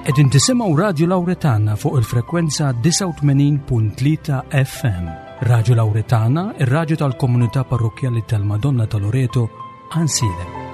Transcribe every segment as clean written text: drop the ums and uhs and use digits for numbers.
Qegħdin tisimgħu Radio Lauretana fuq il-frekwenza 89.3 FM. Radio Lauretana, ir-radju tal-komunità parrokkjali tal-Madonna ta' Loreto, Ansilem.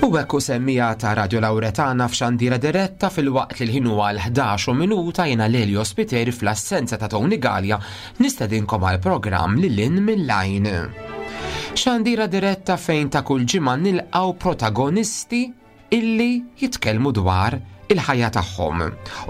U hekk semmija ta' Radio Lauretana f'xandira diretta fil-waqt li l-ħin huwa l-11 minuta jiena Lelio Spiteri fl-assenza ta' Tony Gallia nistedinkom għal programm li lin mill-lajn. Xandira diretta fejn ta' kull ġimgħa nilqgħu protagonisti illi jitkellmu dwar il-ħajja tagħhom.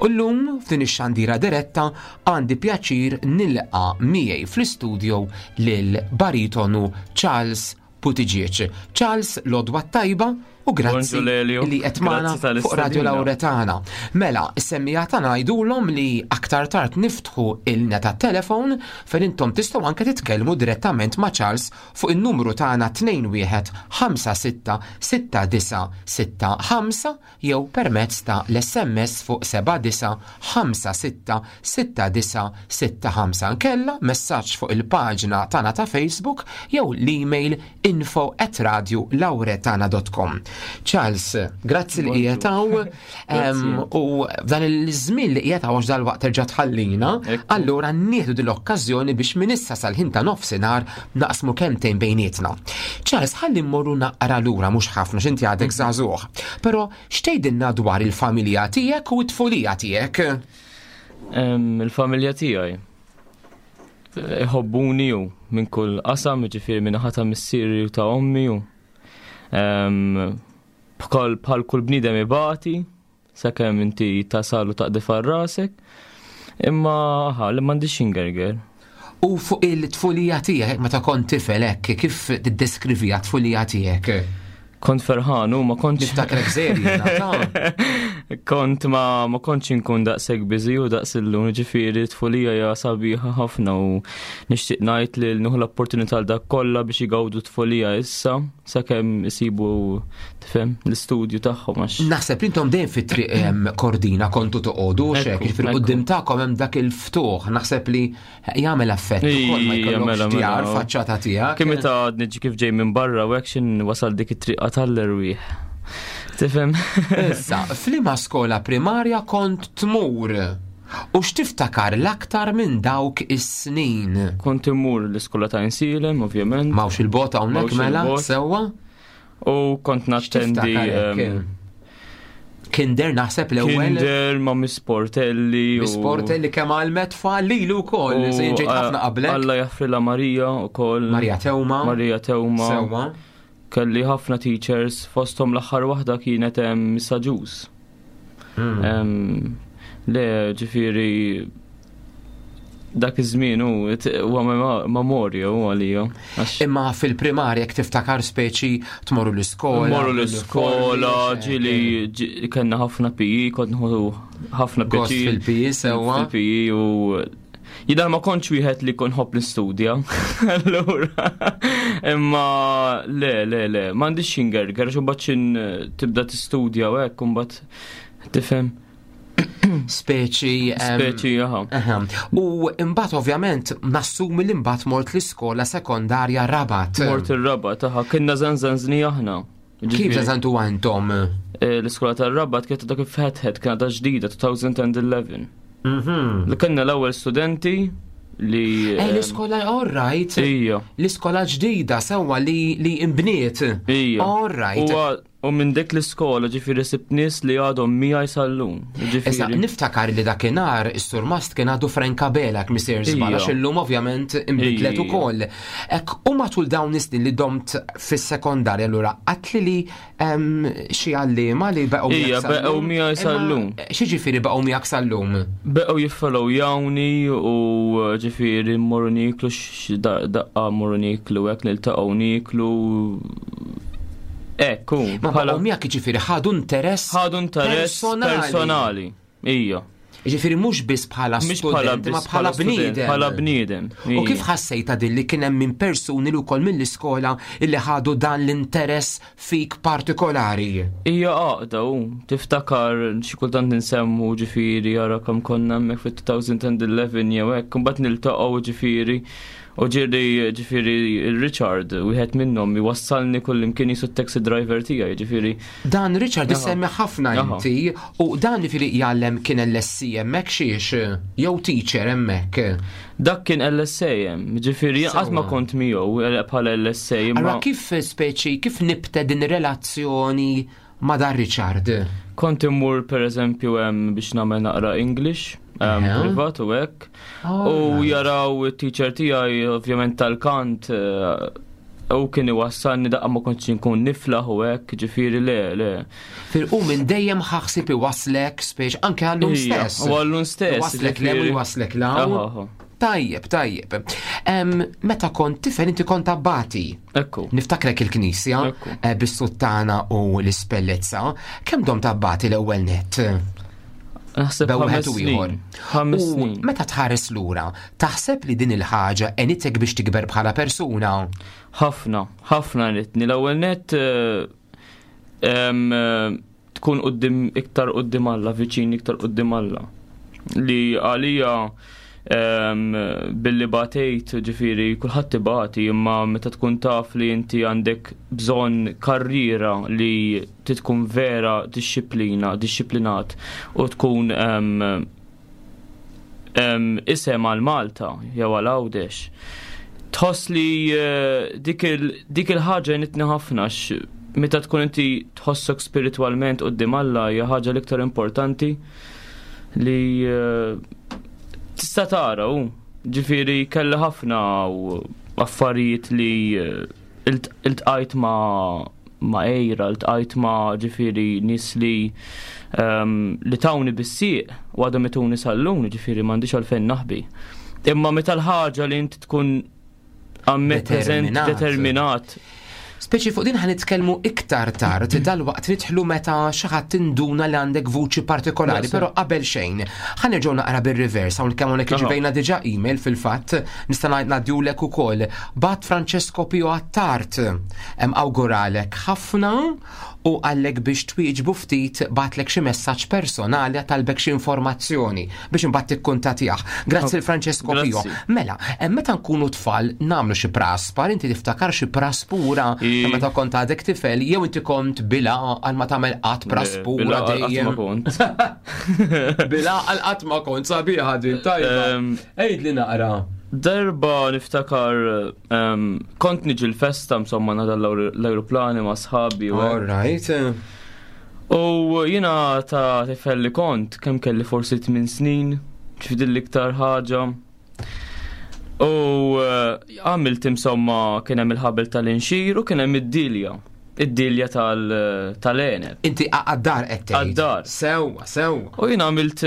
U llum f'din ix-xandira diretta għandi pjaċir nilqa' miegħi fl-istudio lil baritonu Charles Buttigieg. Charles l-odwa tajba u grazzi li qed magħna fuq Radio Lauretana. Mela, is-semmija tagħna ngħidulhom li aktar tard niftħu il-linja tat-telefon fejn intom tistgħu anke titkellmu direttament ma' Charles fuq in-numru tagħna 21566965 jew permezz ta' l-SMS fuq 79566965 nkella messaġġ fuq il-paġna tagħna ta' Facebook jew l-email info at radiolauretana.com. Charles, grazzi li qiegħed hawn u f'dan il-żmien li qiegħed hawn għax dal-waqt terġa' tħallina, allura nieħdu din l-okkażjoni biex minn issa sal-ħin ta' nofsinhar naqsmu kemmtejn bejnietna. Charles, ħalli mmorru naqra lura mhux ħafna x'inti għadek mhm. żagħżugħ. Però x'tgħidilna dwar il-familja tiegħek u t-tfulija tiegħek? Il-familja tiegħi iħobbuni u minn kull qasam, ġifieri minn ħata missieri u ta' ommi u bħal bħal kull bniedem ibati sakemm inti tasal u taqdif għal rasek. Imma ħa li m'għandix ingerger. U fuq il-tfulija tiegħek meta kont tifel hekk, kif tiddeskrivija tfulija tiegħek? Kont ferħan u ma kontx. Niftakrek żeri, Kont ma ma kontx inkun daqshekk biżi u daqs illum, ġifieri tfulija hija sabiħa ħafna u nixtieq ngħid li nieħu l-opportunità l dak kollha biex igawdu tfulija issa sakemm isibu tifhem l-istudju tagħhom għax. Naħseb li intom dejjem fit-triq Kordina kontu toqogħdu xek, jiġifieri quddiem tagħkom hemm dak il-ftuħ, naħseb li Jagħmel effett ukoll ma jkollokx mela, djar mela. faċċata tiegħek. Kemm meta niġi kif ġej minn barra u hekk xin wasal dik it-triqa tal-erwieħ. Tifhem? Issa, f'liema skola primarja kont tmur? U x'tiftakar l-aktar minn dawk is-snin? Kont immur l-iskola ta' Insilem, ovvjament. Mawx il-bot hawnhekk mela, sewwa? U kont nattendi. Kinder naħseb l-ewwel. Kinder ma' Miss Portelli. Miss Portelli kemm għalmet tfal lilu wkoll, se ġejt ħafna qablek. Alla jaffrila Marija wkoll. Marija Tewma. Marija Tewma. Sewwa. Kelli ħafna teachers, fosthom l-aħħar waħda kienet hemm Missa Ġus. Hmm. Le, ġifieri dak iż-żmien hu huwa memorja u għalija. Imma fil-primarja jekk tiftakar speċi tmorru l-iskola. Morru l-iskola, ġieli kellna ħafna PE, kont nħodu ħafna PE. Fil-PE sewwa. Fil-PE u Jidher ma kontx wieħed li kon ħobb l-istudja. Allura. Imma le, le, le, m'għandix xingerger, xi mbagħad xin tibda tistudja u hekk imbagħad tifhem. Speċi. Speċi, aha. U imbagħad ovvjament nassumi li mbagħad mort l-iskola sekondarja Rabat. Mort ir-Rabat, aha, kienna zanzanzni aħna. Kif zanzantu għantom? Eh, l-iskola tar-Rabat kienet dak fetħet kienet ġdida 2011. Mhm. Li kellna l-ewwel studenti li. Eh, l-iskola all right. Ija. L-iskola ġdida sewwa li li imbniet. Ija. All right. U minn dik l-iskola ġifieri sibt nies li għadhom miegħi sal-lum. Issa niftakar li dakinhar is-surmast kien għadu Frank Abela missier żball għax illum ovvjament inbidlet ukoll. Ek u matul dawn is-snin li domt fis-sekondarja allura għatli li xi għalliema li baqgħu miegħek baqgħu miegħi sal-lum. Xi ġifieri baqgħu miegħek sal-lum? Baqgħu jiffollow jawni u ġifieri mmorru niklu daqqa mmorru niklu hekk niltaqgħu niklu Ekku. Ma bħala miegħek jiġifieri ħadu interess. Ħadu interess personali. Ija. Ġifieri mhux biss bħala student, ma bħala bniedem. Bħala bniedem. U kif ħassejta din li kien hemm minn persuni li wkoll mill-iskola li ħadu dan l-interess fik partikolari? Hija għaqda u tiftakar xi kultant insemmu ġifieri jara kemm konna hemmhekk fit-2011 jew hekk, imbagħad niltaqgħu ġifieri U ġieli ġifieri Richard, wieħed minnhom iwassalni kullimkien jisu taxi driver tiegħi, ġifieri. Dan Richard isemmi ħafna inti u dan ġifieri jgħallem kien LSC hemmhekk xiex jew teacher hemmhekk. Dak kien LSA hemm, ġifieri qatt ma kont miegħu eh, bħala LSA. Allura kif speċi kif nibte din relazzjoni ma' dan Richard? Kont immur pereżempju hemm biex nagħmel naqra English privat u hekk. U jaraw it-teacher tiegħi ovvjament tal-kant eh, u kien iwassalni daqqa ma kontx inkun niflaħ u hekk, ġifieri le, le. Fil-qu minn dejjem ħaħsib iwaslek spiex anke għallum stess. U għallum stess. Waslek lem u waslek law. Tajjeb, tajjeb. Meta kont tifel inti kont abbati. Ekku. Niftakrek il-knisja eh, bis-suttana u l-ispellezza. Kemm dom tabbati l-ewwel net? Naħseb wieħed u ieħor. U meta tħares lura, taħseb li din il-ħaġa enitek biex tikber bħala persuna? Ħafna, ħafna enitni. L-ewwel net eh, eh, tkun qudiem iktar qudiem Alla, viċin iktar qudiem Alla. Li għalija billi batejt, ġifiri, kulħadd ibati, imma meta tkun taf li inti għandek bżonn karriera li tkun vera dixxiplina, dixxiplinat u tkun isem għal Malta jew għal Għawdex. Tħoss li eh, dik il-ħaġa nitni ħafna meta tkun inti tħossok spiritwalment qudiem Alla hija ħaġa l-iktar importanti li eh, tista' tara u ġifieri kelli ħafna affarijiet li eh, iltqajt ma' ma' ejra, ltqajt ma' ġifieri nies li ehm, li tawni bis-sieq u għadhom ituni sal-lum, ġifieri m'għandix għalfejn naħbi. Imma meta l-ħaġa li inti tkun għammet determinat. Speċi fuq din ħanitkellmu iktar tard dal-waqt nidħlu meta xi ħadd tinduna li għandek vuċi partikolari, però qabel xejn. Ħanerġgħu naqra bir-reverse hawn kemm hawnhekk irċivejna diġà email fil-fatt nista' ngħaddiulek ukoll. Bat Francesco Pio Attard hemm awguralek ħafna u qallek biex twieġbu ftit bagħatlek xi messaġġ personali talbek xi informazzjoni biex imbagħad tikkuntatjah. Grazzi l Francesco Pio. Mela, meta nkunu tfal nagħmlu xi praspar, inti tiftakar xi praspura meta kont għadek tifel jew inti kont bila għal ma tagħmel qatt praspura dejjem. Bila għal qatt ma kont sabiħa din tajba. Għidli naqra. Darba niftakar kont niġi l-festa insomma nada l-aeroplani ma' sħabi. All right. U jina ta' tifel li kont, kemm kelli forsi 8 snin, ċfidil l-iktar ħaġa. U eh, għamilt insomma kien hemm il-ħabel tal-inxir u kien hemm id-dilja. Id-dilja tal-għeneb. Inti għaddar qed tgħid. Għaddar. Sewwa, sewwa. U jien għamilt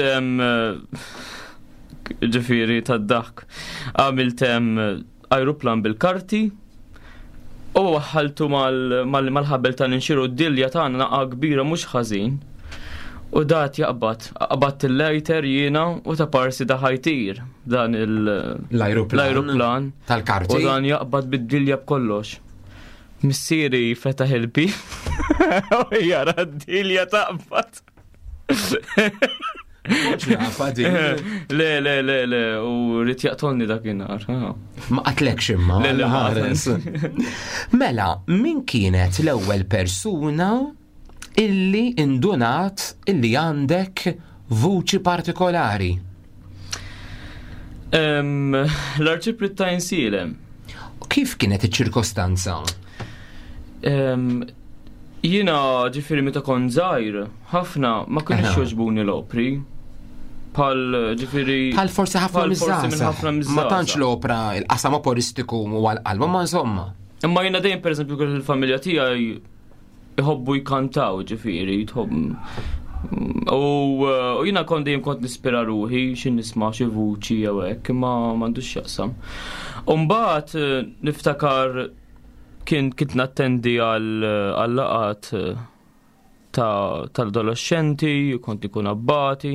ġifieri tad-daħk. Għamilt ajruplan bil-karti u waħħaltu mal-ħabel tal-inxiru d-dilja tagħna naqa' kbira mhux ħażin. U dat jaqbad, qabadt il-lighter jiena u ta' parsi da ħajtir dan l-ajruplan tal-karti. U dan jaqbad bid-dilja b'kollox. Missieri fetaħ il-bib u jara d-dilja taqbad. Le, le, le, le, u rrit jaqtolni dakinhar. Ma qatlekx imma. Le, le, ħares. Mela, min kienet l-ewwel persuna illi indunat illi għandek vuċi partikolari? L-arċiprit ta' Insilem. Kif kienet iċ-ċirkostanza? Jiena ġifieri meta kont żgħir, ħafna ma kienx jogħġbuni l-opri. Bħal ġifieri. Bħal forsi ħafna miż-żgħażagħ. Ma tantx l-opra il-qasam oporistiku u għal-qalba ma insomma. Imma jiena dejjem pereżempju kien il-familja tiegħi iħobbu jkantaw ġifieri, tħobb U eh, jiena kont dejjem kont nispira ruħi xi nisma' xi vuċi jew hekk, imma m'għandux x'jaqsam. U mbagħad eh, niftakar kien kint nattendi għal laqat eh, tal-adolescenti, kont ikun abbati.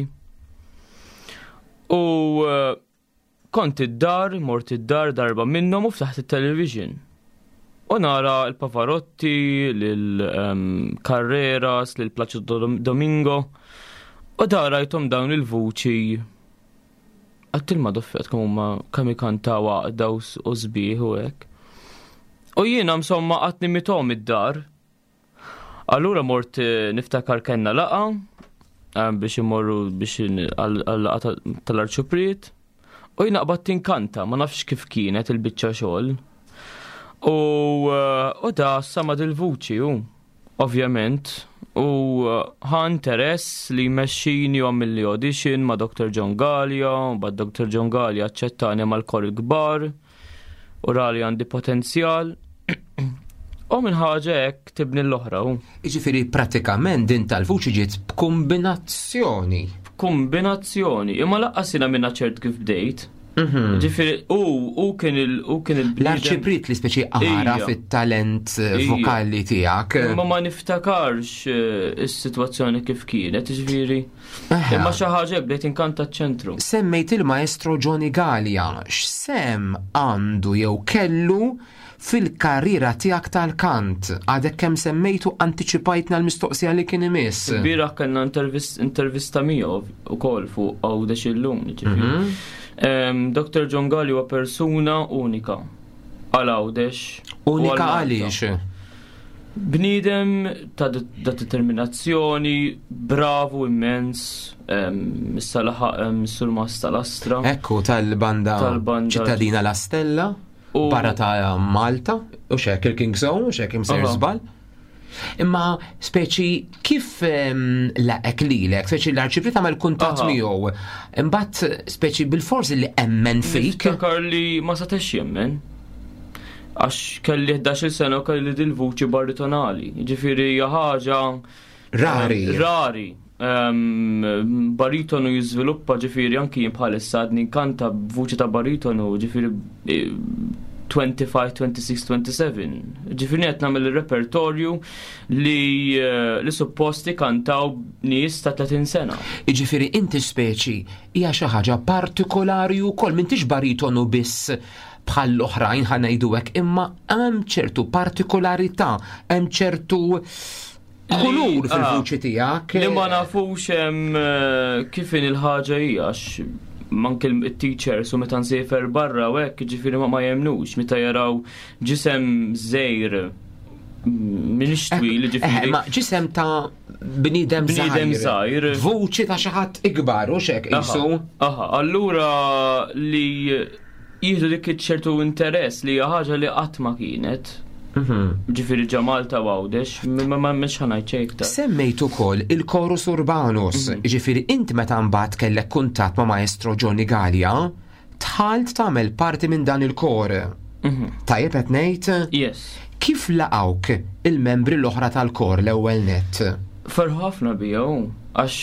U eh, kont id-dar, mort id-dar darba minnhom u ftaħt it-television. U nara l-Pavarotti, l-Carreras, l-Placido Domingo. U da rajthom dawn il-vuċi Għattil ma doffet kemm huma kemm ikantaw għaqda u sbieħ u hekk. U jiena insomma qatt nimithom id-dar. Allura mort eh, niftakar kellna laqa eh, biex imorru biex għal-laqa tal-arċupriet. U jiena qbadt inkanta, ma nafx kif kienet il-biċċa xogħol. U eh, u da sama dil-vuċi u. Ovvjament, u ħa interess li jmexxini u għamilli audition ma' Dr. John Gallia, u bad Dr. John Gallia aċċettani mal-kor il-kbar, u rali għandi potenzjal. U minn ħaġa hekk tibni l-oħra. Jiġifieri pratikament din tal-vuċi ġiet b'kombinazzjoni. B'kombinazzjoni, imma laqqas jiena minna ċert kif bdejt. Mhm. Ġifieri, u u kien il u kien il L-arċipriet li speċi għara fit-talent eh, vokali tiegħek. Imma ma niftakarx eh, is-sitwazzjoni kif kienet, ġifieri. Imma xi ħaġa bdejt inkanta ċ-ċentru. Semmejt il-maestro Johnny Gallia, x'sem għandu jew kellu fil-karriera tiegħek tal-kant? Għadek kemm semmejtu antiċipajtna l-mistoqsija li kien imiss. Bieraħ kellna intervista miegħu ukoll fuq Għawdex illum, ġifieri. Mhm. Dr. John Galli huwa persuna unika għal Għawdex. Unika għaliex? Bniedem ta' determinazzjoni, bravu immens, issa laħaq sur-mas tal-Astra. Ekku tal-banda ċittadina La Stella. Barra ta' Malta, u xek il-King Zone, u xek imsejr żball. Imma speċi kif ehm, laqek lilek, speċi l-arċivri tagħmel kuntatt miegħu. Imbagħad speċi bil-forsi li emmen fik. Niftakar li ma setax jemmen. Għax kelli 11 sena u kelli dil-vuċi baritonali. Ġifieri hija ħaġa Rari. Rari. Um, baritonu jiżviluppa ġifieri anki jien bħalissa għadni nkanta b'vuċi ta' baritonu ġifieri 25, 26, 27. Ġifieri qed nagħmel ir-repertorju li, eh, li supposti kantaw nies ta' 30 sena. Jiġifieri inti speċi hija xi ħaġa partikolari wkoll m'intix baritonu biss bħal l-oħrajn ħa ngħidu hekk, imma hemm ċertu partikolarità, hemm ċertu kulur fil-vuċi tiegħek. Li ma nafux hemm eh, kif in il-ħaġa hija manke il-teachers u meta nsiefer barra u hekk ġifieri ma ma jemnux meta jaraw ġisem żejr minix twil eh, ġifieri. Ma ġisem ta' bniedem bniedem żgħir. Vuċi ta' xi ħadd ikbar u xek qisu. Aha, allura li jieħdu dik ċertu interess li hija ħaġa li qatt ma kienet. Mhm. Ġifieri ġa Malta u Għawdex, ma ma mhux ħanajt xejn iktar. Semmejt ukoll il-Chorus Urbanus, mhm. ġifieri int meta mbagħad kellek kuntatt ma' Maestro Johnny Gallia, dħalt tagħmel parti minn dan il-kor. Mhm. Tajjeb qed ngħid? Yes. Kif laqgħuk il-membri l-oħra tal-kor l-ewwel nett? Ferħu ħafna bija għax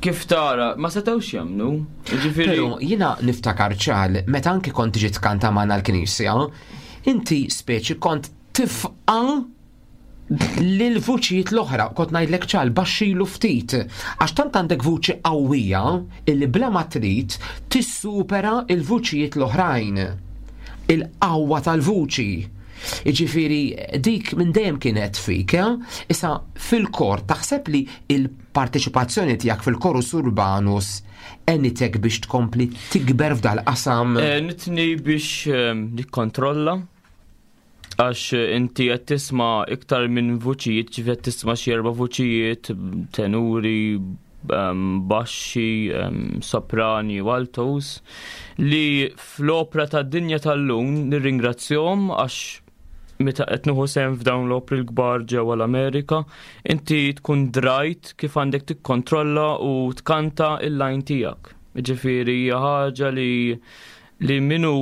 kif tara, ma setgħux jemmnu. Ġifieri. Però jiena niftakar ċar meta anki kont tiġi tkanta magħna l-knisja, inti speċi kont tifqa' lil vuċijiet l-oħra, kont ngħidlek ċar baxxilu ftit, għax tant għandek vuċi qawwija illi bla ma trid tissupera l-vuċijiet l-oħrajn. Il-qawwa tal-vuċi. Jiġifieri dik minn dejjem kienet fik, eh? Issa fil-kor taħseb li il-parteċipazzjoni tiegħek fil-Chorus Urbanus għenitek biex tkompli tikber f'dal-qasam? Għenitni biex ehm, nikkontrolla għax inti qed tisma' iktar minn vuċijiet, ġifieri qed tisma' xi erba' vuċijiet, tenuri, ehm, baxxi, ehm, soprani u altos, li fl-opra tad-dinja tal-lum nirringrazzjahom għax. meta qed nieħu sehem f'dawn l-opri l-kbar ġewwa l-Amerika, inti tkun drajt kif għandek tikkontrolla u tkanta il-line tiegħek. Ġifieri hija ħaġa li li minu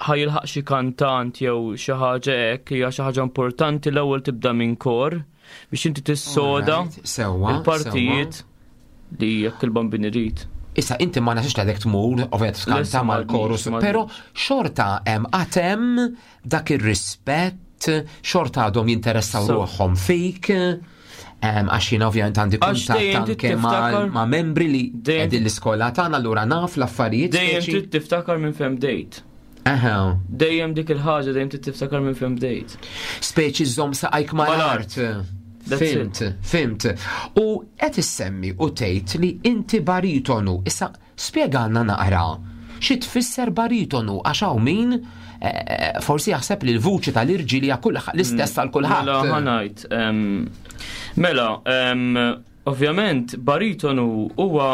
ħajilħaq xi kantant jew xi ħaġa hekk hija xi ħaġa importanti l-ewwel tibda minn kor biex inti tissoda il-partijiet li jekk il-bambin irid. Issa inti ma nasix li tmur, ovvjament tkanta mal-korus, pero xorta hemm għatem dak ir-rispett, xorta għadhom jinteressaw ruħhom fik. Għax jiena ovvjament għandi kuntatt anke ma' membri li qegħdin l-iskola tagħna allura naf l-affarijiet. Dejjem trid tiftakar minn fejn bdejt. Dejjem dik il-ħaġa dejjem trid tiftakar minn fejn bdejt. Speċi żomm saqajk mal-art. Fimt, fimt. U qed issemmi u tgħid li inti baritonu. Issa spjegalna naqra xi tfisser baritonu għax hawn min eh, forsi jaħseb li l-vuċi tal-irġiel hija l-istess għal kulħadd. Mela ħanajt. Mela, ovvjament baritonu huwa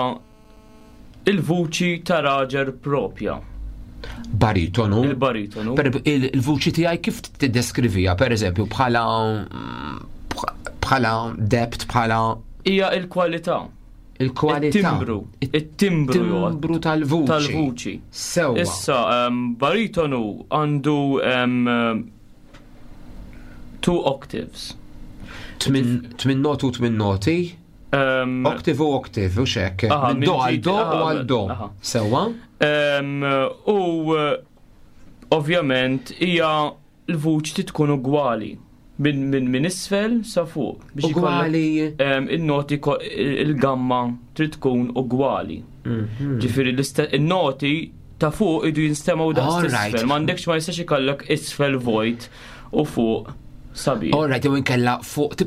il-vuċi ta' raġel propja. Baritonu. Il-baritonu. Il-vuċi tiegħi kif tiddeskrivija, per eżempju, bħala bħala debt, bħala. Hija il-kwalità. Il-kwalità. Il-timbru. Il-timbru. Timbru tal-vuċi. Tal-vuċi. Sewa. Issa, baritonu għandu two octaves. Tmin noti u tmin noti. Octave u octave, u xek. Minn do għal do u għal do. Sewa? U ovvjament hija l-vuċi trid tkun ugwali minn min, min isfel sa fuq. Biex ugwali. Il-noti il-gamma trid tkun ugwali. Mhm. Ġifieri il-noti ta' fuq idu jinstemaw daqs isfel. M'għandekx ma jistax ikollok isfel vojt u fuq sabiħ. All right, jew inkella fuq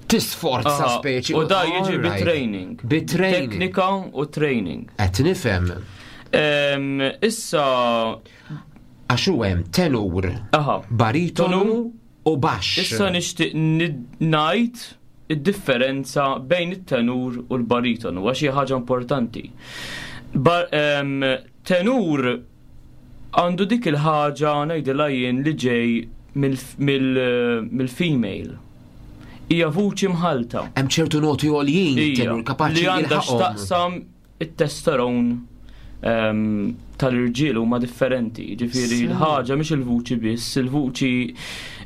tisforza speċi. U da jiġi bi training. Bi training. Teknika u training. Qed nifhem. Issa. Għax u hemm tenur, baritonu u baxx. Issa nixtieq ngħid id-differenza bejn it-tenur u l-baritonu, għax hija ħaġa importanti. Tenur għandu dik il-ħaġa ngħidilha jien li ġej mill-female. Hija vuċi mħalta. Hemm ċertu noti għoljin tenur kapaċi li għandha x'taqsam it-testosteron ehm, tal-irġiel huma differenti. Ġifieri l-ħaġa mhix il-vuċi biss, il-vuċi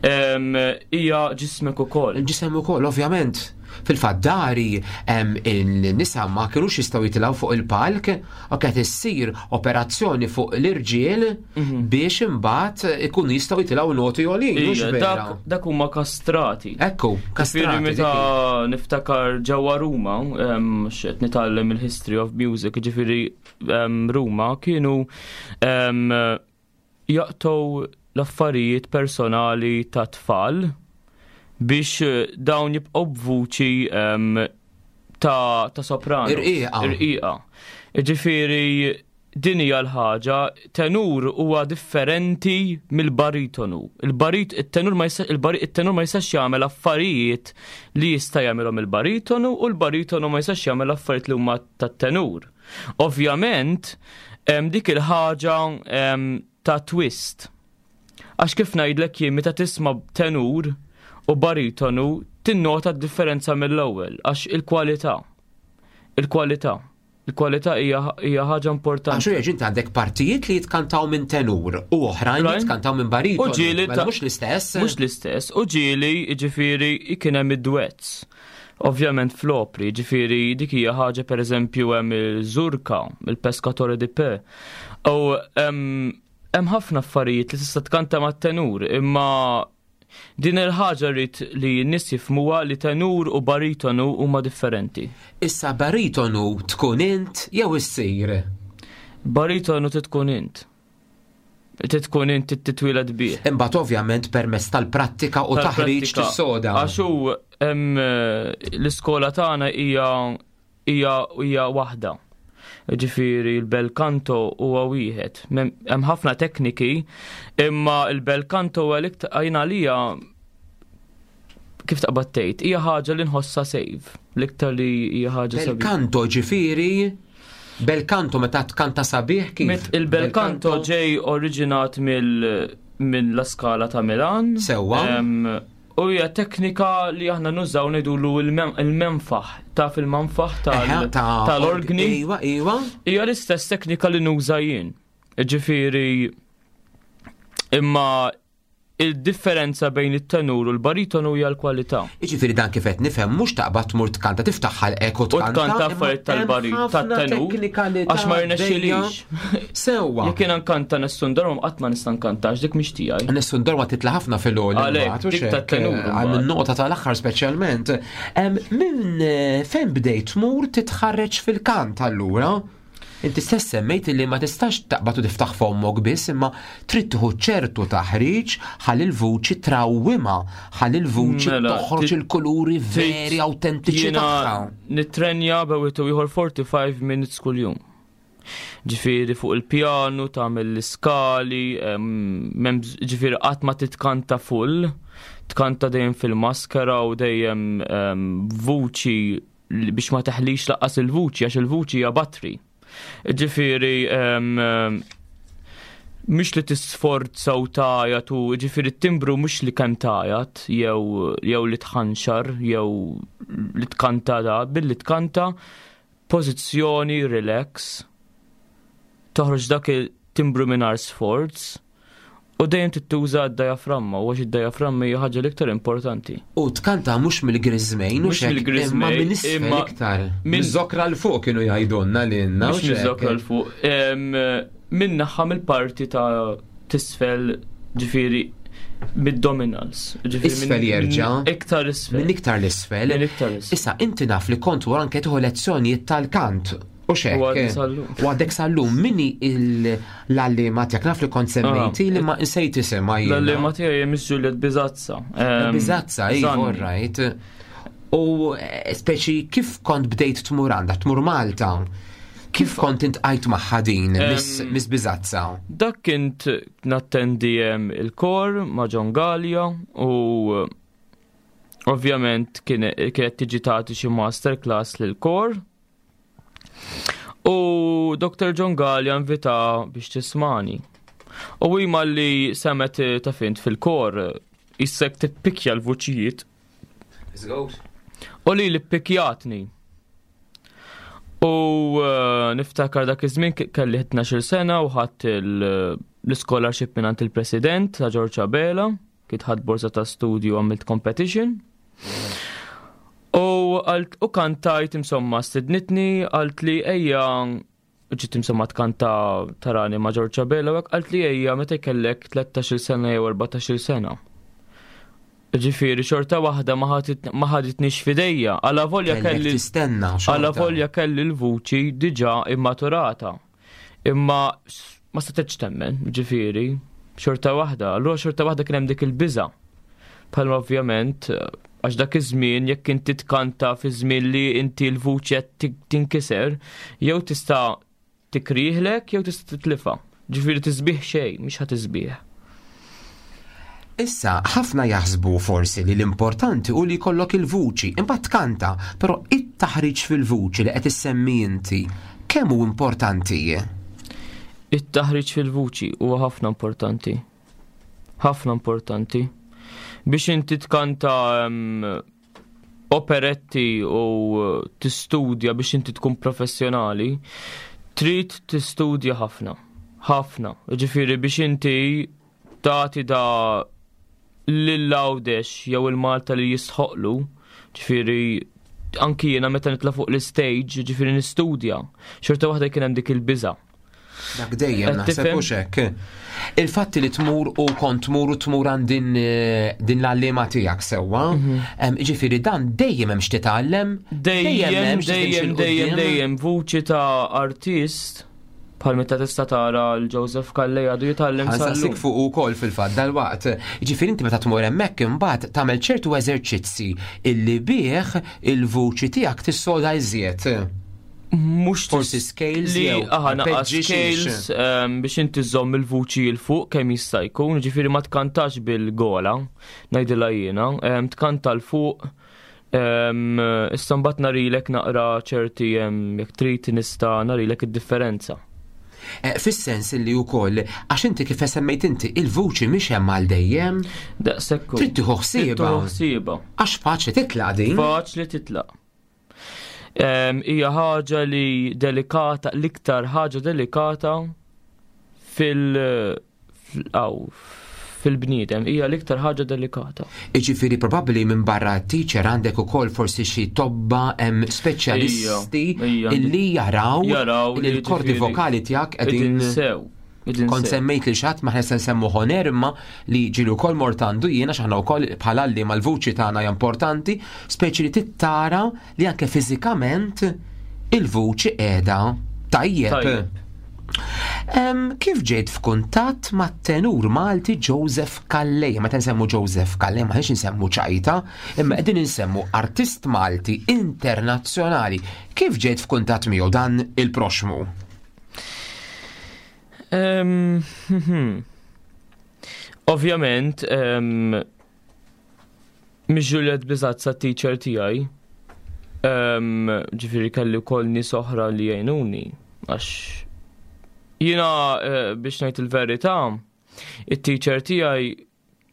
ehm, hija ġismek ukoll. Il-ġisem ukoll, ovvjament. Fil-fatt dari il-nisa ma kinux jistgħu jitilgħu fuq il-palk u qed issir operazzjoni fuq l-irġiel mhm. biex imbagħad ikunu jistgħu jitilgħu noti għolin. Dak huma kastrati. Ekku, kastrati. Meta niftakar ġewwa Ruma, x'qed nitgħallem il-history of music, ġifieri Ruma kienu jaqtgħu l-affarijiet personali ta' tfal biex eh, dawn jibqgħu b'vuċi ta', ta soprano. Irqiqa. Irqiqa. Ġifieri din hija l-ħaġa, tenur huwa differenti mill-baritonu. Il-barit, il-tenur ma il-tenur ma jistax jagħmel affarijiet li jista' jagħmilhom il-baritonu u l-baritonu ma jistax jagħmel affarijiet li huma tat-tenur. Ovvjament, dik il-ħaġa ta' twist. Għax kif ngħidlek jien meta tisma' tenur u baritonu tinnota d-differenza mill-ewwel għax il-kwalità. Il-kwalità. Il-kwalità hija ħaġa importanti. Għax u inti għandek partijiet li jitkantaw minn tenur u oħrajn li jitkantaw minn baritonu. U ġieli mela mhux l-istess. Mhux l-istess. U ġieli jiġifieri kien hemm id-duets. Ovvjament fl-opri, ġifieri dik hija ħaġa pereżempju hemm il-Zurka, il-Pescatore di Pe. U hemm ħafna affarijiet li tista' tkanta mat-tenur, imma din il-ħaġa rrid li n-nies jifhmuha li tenur u baritonu huma differenti. Issa baritonu tkun int jew issir? Baritonu tkun int. Tkun int titwieled bih. Imbagħad ovvjament permezz tal-prattika u taħriġ tissoda. Għax hu l-iskola tagħna hija hija hija waħda. Ġifieri l-bel canto huwa wieħed. Hemm ħafna tekniki, imma l-bel canto huwa l-iktar għalija kif taqbad tgħid, hija ħaġa li nħossha save, l-iktar li hija ħaġa sabiħ. Bel canto ġifieri Bel canto meta tkanta sabiħ kif? Il-bel canto ġej oriġinat mill minn La Scala ta' Milan. Sewwa. U hija teknika li aħna nużaw ngħidulu il-menfaħ, taf il-manfaħ tal-organi. Iwa, iwa. Hija l-istess teknika li nuża jien. Ġifieri imma il-differenza bejn it-tenur u l-baritonu hija l-kwalità. Jiġifieri dan kif qed nifhem mhux taqbad tmur tkanta tiftaħ ħalqek u tkanta. U tkanta affarijiet tal-barit tat-tenur. Għax ma jirnexxilix. Sewwa. Jekk jiena nkanta Nessun Dorma qatt ma nista' nkanta għax dik mhix tiegħi. Nessun Dorma titla' ħafna fil-għoli. Għalhekk dik tat-tenur. Għal min-nota tal-aħħar speċjalment. Minn eh, fejn bdejt tmur titħarreġ fil-kant allura? Inti stess semmejt li ma tistax taqbad u tiftaħ fommok biss imma trid tieħu ċertu taħriġ ħalli l-vuċi trawwimha, ħalli l-vuċi mela, toħroġ il-kuluri veri awtentiċi tagħha. Nittrenja bewit u ieħor 45 minutes kuljum. Ġifieri fuq il-pjanu tagħmel l-iskali, ġifieri qatt ma titkanta full, tkanta dejjem fil-maskera u dejjem vuċi biex ma teħlix laqqas il-vuċi għax il-vuċi hija batri. Ġifieri mhux li tisforza u tajat u ġifieri t-timbru mhux li kemm tajat jew jew li tħanxar jew li tkanta da billi tkanta pożizzjoni relax toħroġ dak il-timbru mingħajr sforz U dejjem trid tuża d-diaframma, u għax id-diaframma hija ħaġa l-iktar importanti. U tkanta mhux mill-griżmejn, mhux mill-griżmejn, imma minn isfel iktar. Minn żokra l fuq kienu jgħidulna lilna. Mhux minn żokra l fuq. Minn naħa mill-parti ta' tisfel ġifieri mid-dominals. Isfel jerġa'. Iktar isfel. Minn iktar l-isfel. Minn iktar l-isfel. Issa inti naf li kont u anke tieħu lezzjonijiet tal-kant. U xek. U għadek sal-lum, minni l-għallima tijak, naf li kont semmejti li ma nsejt isem għajja. L-għallima tijak hija Miss Juliet Bizazza. Bizazza, iva, all right. U eh, speċi kif kont bdejt tmur għandha, tmur Malta? Kif kont intqajt magħha din, Miss Bizazza? Dak kint nattendi il-kor ma' John Gallia u ovvjament kienet tiġi tagħti xi master class lil kor. U Dr. John Gallia invita biex tismani. U ima li semet eh, ta' fint fil-kor, jissek tippikja l-vuċijiet. U li li ppikjatni. U eh, niftakar dak iż-żmien kelli 12 sena u ħadd l-scholarship minn il-President ta' George Abela. Kif ħadt borza ta' studju għamilt competition. U għalt u kantajt insomma stidnitni għalt li ejja ġiet insomma tkanta tarani ma' George Abela u għalt li ejja meta jkellek 13-il sena jew 14-il sena. Ġifieri xorta waħda ma ħaditnix fidejja, għala volja kelli tistenna. Għala volja kelli l-vuċi diġà immaturata. Imma ma setgħetx temmen, ġifieri, xorta waħda. Allura xorta waħda kien hemm dik il-biża'. Bħalma ovvjament, għax dak iż-żmien jekk inti tkanta fi żmien li inti l-vuċi qed tinkiser, jew tista' tikriħlek jew tista' titlifha. Ġifieri tisbieħ xejn, mhix ħa tisbieħ. Issa, ħafna jaħsbu forsi li l-importanti hu li jkollok il-vuċi, imbagħad tkanta, però it-taħriġ fil-vuċi li qed issemmi inti, kemm hu importanti? It-taħriġ fil-vuċi huwa ħafna importanti. Ħafna importanti. Biex inti tkanta operetti u tistudja biex inti tkun professjonali, trid tistudja ħafna. Ħafna. Ġifieri biex inti tagħti da lil Għawdex jew il-Malta li jistħoqlu, ġifieri anki jiena meta nitla' fuq l-istage, ġifieri nistudja, xorta waħda kien hemm dik il-biża'. Dak dejjem naħseb hux hekk. Il-fatt li tmur u kont tmur u tmur għand din, eh, din l-għalliema tiegħek sewwa, mhm. ġifieri dan dejjem hemm x'titgħallem, dejjem dejjem dejjem dejjem vuċi ta' artist Bħal meta tista' tara l-Joseph Calleja għadu jitgħallem sal Nsaqsik fuq ukoll fil-fatt dal-waqt. Ġifieri inti meta tmur hemmhekk imbagħad tagħmel ċertu eżerċizzi illi bih il-vuċi tiegħek tissoda iżjed. Mhux forsi scales li aħna naqas scales ehm, biex inti żomm il-vuċi l fuq kemm jista' jkun, ġifieri ma tkantax bil-gola, ngħidilha jiena, ehm, tkanta l fuq Issa mbagħad narilek naqra ċerti jekk trid nista' narilek id-differenza. Eh, fis-sens li wkoll għax inti kif semmejt inti il-vuċi mhix hemm għal dejjem. Daqshekk. Trid tieħu ħsiebha. ħsiebha. Għax faċli titlaq din. Faċli titlaq. Hija ħaġa li delikata, l-iktar ħaġa delikata fil- fil-bniedem hija l-iktar ħaġa delikata. Iġifieri probabbli minn barra teacher għandek ukoll forsi xi tobba hemm speċjalisti illi jaraw li l-kordi vokali tiegħek qegħdin sew. Kont semmejt li xatt ma se nsemmu ħoner imma li ġilu wkoll mort għandu jiena x'aħna wkoll bħala li mal-vuċi tagħna hija importanti, speċi li tittara li anke fiżikament il-vuċi qiegħda tajjeb. Kif ġejt f'kuntatt mat-tenur Malti Joseph Calleja? Meta nsemmu Joseph Calleja ma ħniex insemmu ċajta, imma qegħdin insemmu artist Malti internazzjonali. Kif ġejt f'kuntatt miegħu dan il-proxmu? Ovvjament, Miss Juliet Bizazza teacher tiegħi. Ġifieri kelli wkoll nies oħra li jgħinuni għax jiena eh, biex ngħid il-verità, it-teacher tiegħi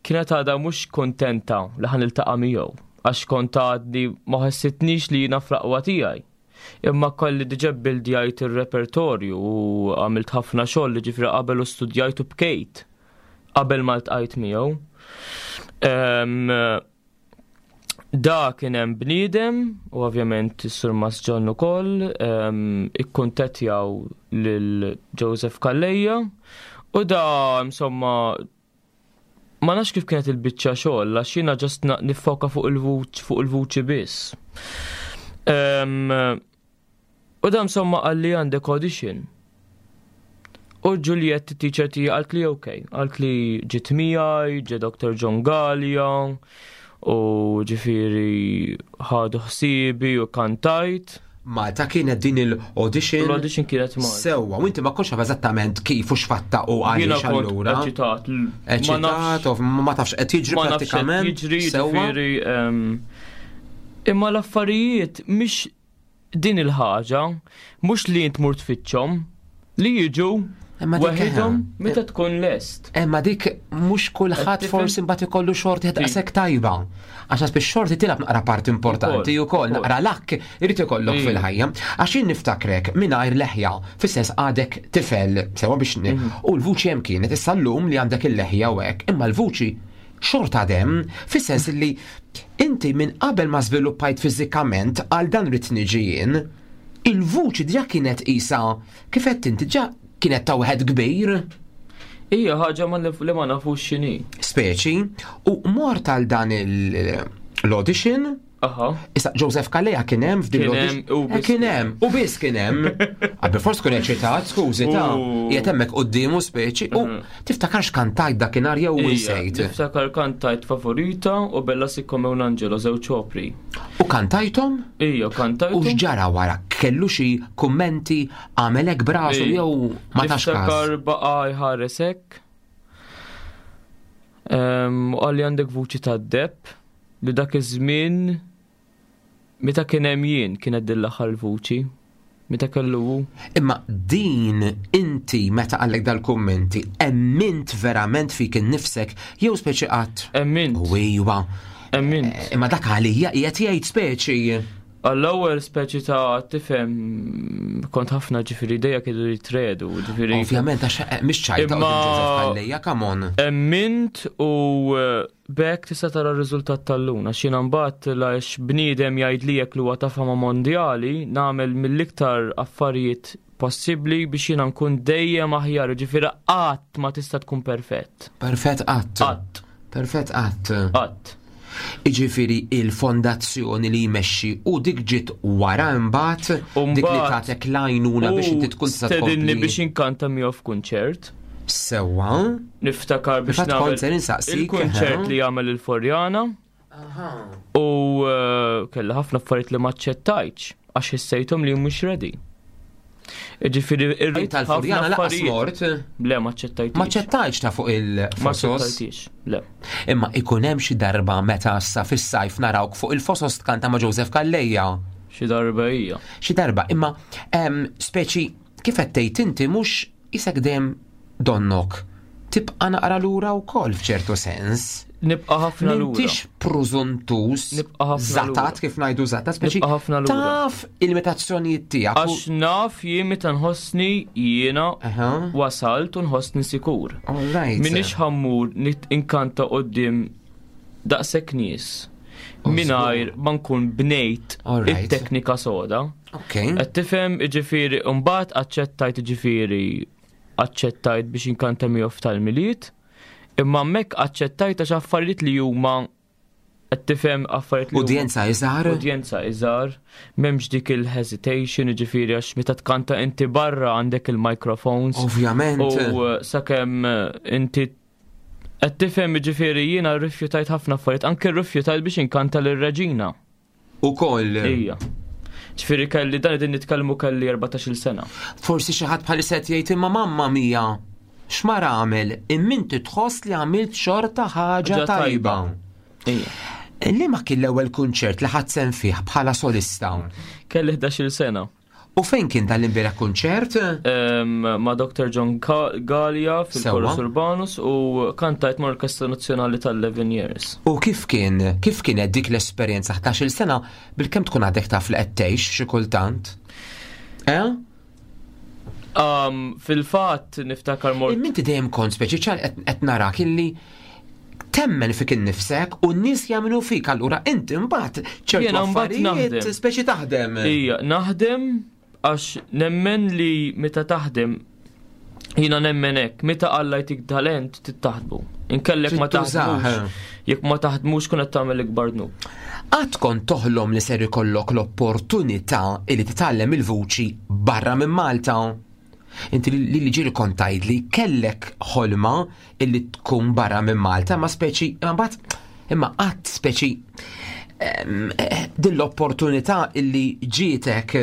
kienet għadha mhux kontenta li ħan iltaqa' miegħu għax kont għadni ma ħassitnix li jiena fl-aqwa tiegħi. Imma kolli diġà bildjajt ir-repertorju u għamilt ħafna xogħol li ġifieri qabel u studjajt u bkejt qabel ma ltqajt miegħu. Da kien hemm bniedem u ovvjament is-Sur Mas John ukoll ikkuntettjaw lil Joseph Calleja u da insomma ma nafx kif kienet il-biċċa xogħol għax jiena ġast nifoka fuq il-vuċ fuq il-vuċi biss. U da insomma qalli għandek audition. U Juliet teacher tiegħi qalt li ok, qalt li ġiet miegħi, ġie Dr. John Gallia, u ġifieri ħadu ħsiebi u kantajt. Malta kienet din il-audition. L-audition kienet Malta. Sewwa, u inti ma kontx taf eżattament kif u x'fatta u għaliex allura. Eċitat. Eċitat, ma tafx qed jiġri prattikament. Jiġri, ġifieri. Imma l-affarijiet mhix din il-ħaġa mhux li int mur tfittxhom, li jiġu waħedhom meta tkun lest. Imma dik mhux kulħadd forsi mbagħad ikollu xorti daqshekk tajba. Għax nasib xorti tilgħab naqra parti importanti wkoll naqra lakk irid ikollok fil-ħajja. Għax jien niftakrek mingħajr leħja, fis-sens għadek tifel sewa biex mhm. u l-vuċi hemm kienet issa llum li għandek il-leħja u hekk, imma l-vuċi xorta għadem, fis-sens li inti minn qabel ma żviluppajt fiżikament għal dan rrid niġi jien, il-vuċi diġà kienet qisha kif qed inti diġà kienet ta' wieħed kbir. Hija ħaġa li ma nafux x'inhi. Speċi, u mort għal dan l-audition Aha. Issa Joseph Kalea kien hemm f'din l-audition. Eh, kien hemm, u biss kien hemm. Qabel forsi tkun eċitat, skużi ta' qiegħed hemmhekk quddiemu speċi u mhm. tiftakarx kantajt dakinhar jew insejt. Niftakar kantajt favorita u Bella Siccome un Angelo żewġ opri. U kantajthom? Ija, kantajthom. U x'ġara wara? Kellu xi kummenti għamelek brasu jew ma tax każ? Niftakar baqa' jħares hekk. Ehm, u qalli għandek vuċi tad-deb li dak iż-żmien meta kien hemm jien kienet din l-aħħar vuċi. Meta kellu hu. Imma din inti meta qallek dal-kummenti, emmint verament fik innifsek jew speċi qatt? Emmint. U iwa. Emmint. Eh, imma dak għalija qiegħed jgħid speċi. Għall-ewwel speċi ta' tifhem kont ħafna ġifieri dejja kienu jitredu, ġifieri. Ovvjament għax eh, mhix ċajta Imma Għalija, come on. Emmint u eh, b'hekk tista' tara r-riżultat tal-lum għax jiena mbagħad għax bniedem jgħidli jekk li huwa ta' fama mondjali nagħmel mill-iktar affarijiet possibbli biex jiena nkun dejjem aħjar, ġifieri qatt ma tista' tkun perfett. Perfett qatt. Qatt. Perfett qatt. Qatt. Iġifieri il-fondazzjoni li jmexxi u dik ġiet wara imbagħad dik li tagħtek l-għajnuna biex inti tkun tista' Stedinni biex inkanta miegħu f'kunċert. Sewwa. Niftakar biex nagħmel il-kunċert li jagħmel il-Forjana. U eh, kelli ħafna affarijiet li ma ċċettajtx għax ħissejthom li mhux ready. Ġifieri irrid tal-Furjana laqas mort. Le ma ċċettajtx. Ma ċċettajtx ta' fuq il-fosos. Ma ċċettajtx, le. Imma ikun hemm xi darba meta sa fis-sajf narawk fuq il-fosos tkanta ma' Joseph Calleja. Xi darba hija. Xi darba, imma speċi kif qed tgħid inti mhux Isek dejjem donnok tibqa' naqra lura wkoll f'ċertu sens. Nibqa' ħafna lura. M'intix prużuntus, Nibqa' ħafna zatat kif ngħidu zatat, speċi Nibqa' ħafna lura. taf il-limitazzjonijiet tiegħek. Għax naf jien meta nħossni jiena wasalt u nħossni sikur. All right. Minix ħammur inkanta quddiem daqshekk nies mingħajr ma nkun bnejt it-teknika soda. Ok. Qed tifhem jiġifieri mbagħad aċċettajt jiġifieri aċċettajt biex inkanta miegħu f'tal-Milied, imma hemmhekk aċċettajt għax affarijiet li huma qed tifhem affarijiet li Udjenza iżgħar? Udjenza iżgħar, m'hemmx dik il-hesitation, jiġifieri għax meta tkanta inti barra għandek il-microphones. Ovvjament. U eh, sakemm eh, inti qed tifhem jiġifieri jiena rrifjutajt ħafna affarijiet, anke rrifjutajt biex inkanta lir-reġina. Ukoll. Ija. Ġifieri kelli dan qegħdin nitkellmu kelli 14-il sena. Forsi xi ħadd bħalissa qed jgħid imma mamma mia x'mar għamel imma inti tħoss li għamilt xorta ħaġa tajba. Ija. Liema kien l-ewwel kunċert li ħadt sehem fih bħala solista? Kelli 11-il sena. U fejn kien dan l-imbieraħ kunċert? Ma' Dr. John Galea fil-Chorus Urbanus u kantajt ma' Orkestra Nazzjonali tal-11 Years. U kif kien, kif kienet dik l-esperjenza 11-il sena bilkemm tkun għadek taf li qed tgħix xi kultant? Eh? Um, fil-fatt niftakar mort. Inti dejjem kont speċi ċar qed narak illi temmen fik innifsek u n-nies jagħmlu fik allura inti mbagħad ċertu affarijiet speċi taħdem. Ija, naħdem għax nemmen li meta taħdem jiena nemmen hekk, meta Alla jtik talent tittaħdmu. Inkellek ma taħdmux. Jekk ma taħdmux kun qed tagħmel ikbar dnub. Qatt kont toħlom li ser ikollok l-opportunità li titgħallem il-vuċi barra minn Malta? Inti li li ġiri kont tgħidli kellek ħolma illi tkun barra minn Malta, ma speċi, imma mbagħad imma qatt speċi eh, din l-opportunità illi ġietek.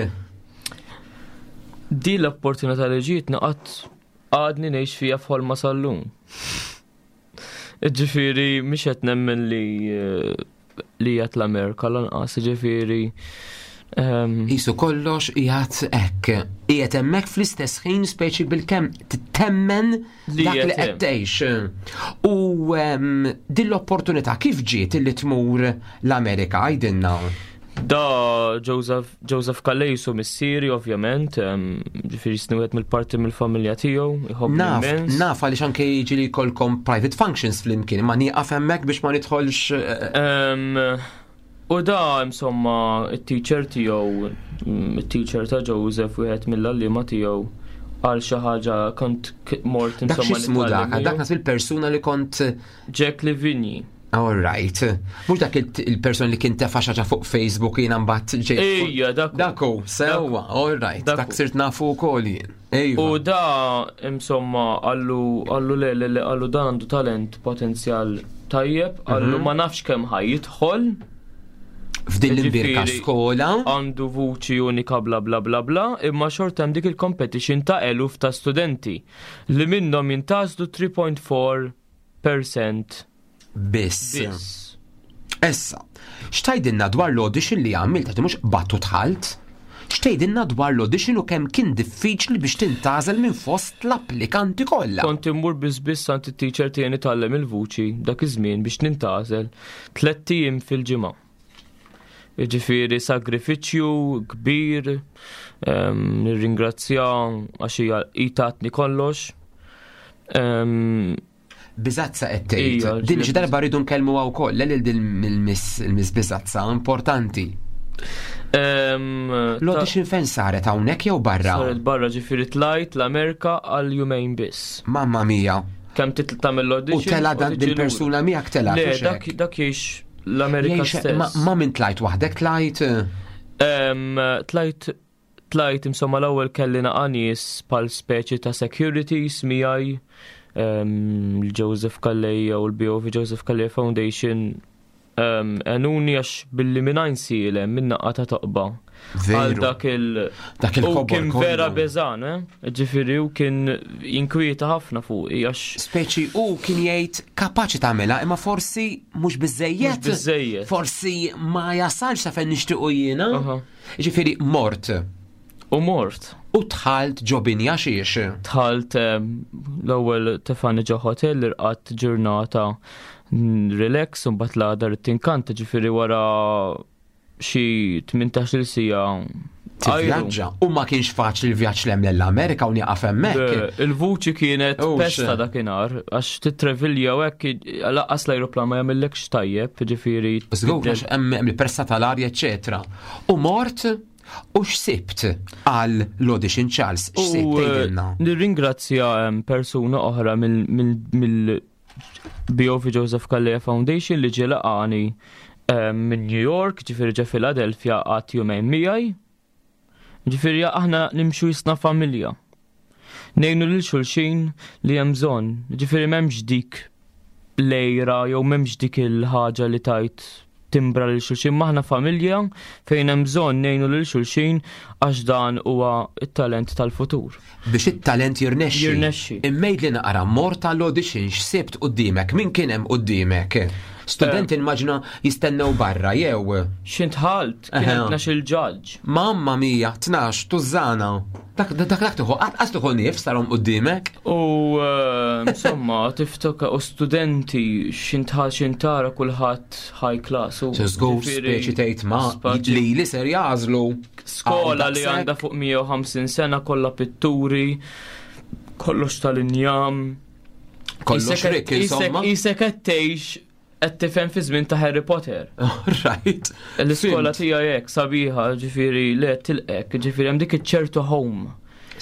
Din l-opportunità li ġietni qatt għadni ngħix fija f'ħolma sal-lum. Ġifieri mhix qed nemmen li eh, li jgħat l-Amerika lanqas, ġifieri. Ehm, Isu kollox jgħat hekk. Qiegħed hemmhekk fl-istess ħin speċi bilkemm temmen dak li qed tgħix. U ehm, din l-opportunità kif ġiet li tmur l-Amerika għidilna? Da Joseph, Joseph Callesu missieri ovvjament, ġifieri jisni wieħed mill-parti mill-familja tiegħu, Naf, naf għaliex anke jiġi li jkollkom private functions flimkien, ma nieqaf hemmhekk biex ma nidħolx. Eh, u da insomma it-teacher tiegħu, mm, it-teacher ta' Joseph wieħed mill-għalliema tiegħu għal xi ħaġa kont mort insomma. Dak x'ismu dak, dak nas il-persuna li kont Jack Livigni. All right. Mux dak il-person li kien tefa xaġa fuq Facebook jiena mbagħad ġej. Ejja, dak. Daku, sewwa, all right. Dak sirt nafu wkoll jien. U da insomma għallu għallu le le għallu dan għandu talent potenzjal tajjeb, għallu mhm. ma nafx kemm ħaj jidħol. F'din l-imbirka skola. Għandu vuċi unika bla bla bla bla, imma xorta hemm dik il-competition ta' eluf ta' studenti li minnhom jintgħażlu 3.4 percent biss. Issa, x'tgħidilna dwar l-audition li għamilt għax mhux qbadt u dħalt? X'tgħidilna dwar l-audition u kemm kien diffiċli biex tintgħażel minn fost l-applikanti kollha? Kont immur biss biss għand it-teacher tiegħi nitgħallem il-vuċi dak iż-żmien biex nintgħażel tlett ijiem fil-ġimgħa. Jiġifieri sagrifiċċju kbir, ehm, nirringrazzja għax hija tatni kollox. Ehm, Biżazza qed tgħid. Din xi darba rridu nkellmuha wkoll lil din il-Miss Biżazza importanti. Ehm, L-audition fejn saret hawnhekk jew barra? Saret barra ġifieri tlajt l-Amerika għal jumejn biss. Mamma mia. Kemm titla' tagħmel l-audition. U tela dan din persuna miegħek tela. Le, dak dak jgħix l-Amerika stess. Ma minn tlajt waħdek tlajt? Tlajt tlajt insomma l-ewwel kelli naqa' nies pal speċi ta' securities miegħi l-Joseph Calleja u l-BOV Joseph Calleja Foundation għenuni għax billi minn sielem minn naqqa ta' toqba. Għal dak il- Dak il U kien vera beżan, eh? Ġifieri u kien jinkwieta ħafna fuq għax. Speċi u kien jgħid kapaċi tagħmilha imma forsi mhux biżejjed. Mhux biżejjed. Forsi ma jasalx sa fejn nixtiequ jiena. Ġifieri mort. U mort. U dħalt ġo binja xiex? Dħalt l-ewwel tefani ġo hotel irqadt ġurnata relax u mbagħad l-għada rrid tinkanta ġifieri wara xi 18-il siegħa Tivvjaġġa u ma kienx faċli l-vjaġġ l l-Amerika u nieqaf hemmhekk. Il-vuċi kienet pesta dakinhar għax titrevilja u hekk laqqas l-ajruplan ma jagħmillekx tajjeb, ġifieri. Żgur għax hemm il-pressa tal-arja eċetera. U mort u x'sibt għal l-audition Charles, x'sibt eh, tgħidilna? Nirringrazzja persuna oħra mill BOV Joseph Calleja Foundation li ġie laqani minn New York, ġifieri ġe Philadelphia għad jumejn miegħi. Ġifieri aħna nimxu jisna familja. Nejnu lil xulxin li hemm bżonn, ġifieri m'hemmx dik lejra jew m'hemmx dik il-ħaġa li tajt timbra lil xulxin maħna familja fejn hemm bżonn ngħinu lil xulxin għax dan huwa t-talent tal-futur. Biex it-talent jirnexxi. Jirnexxi. Immejt li naqra mort tal-audition x'sibt quddiemek, min kien hemm quddiemek? Studenti eh. immaġina jistennew barra jew. X'intħalt, kien hemm 12 il-ġaġġ. Mamma mia, 12 tużana. Dak dak dak tuħu, għas tuħu nifs tarom qudiemek. U eh, insomma, tiftoka u studenti xintħal xintara kulħadd high class. U żgur speċi tgħid ma li li ser jażlu. Skola li għandha fuq 150 sena kollha pitturi, kollox tal-injam. Kollox rik, insomma. Isek qed tgħix qed tifhem fi żmien ta' Harry Potter. Right. L-iskola tiegħi hekk sabiħa, ġifieri le tilqek, ġifieri hemm dik iċ-ċertu home.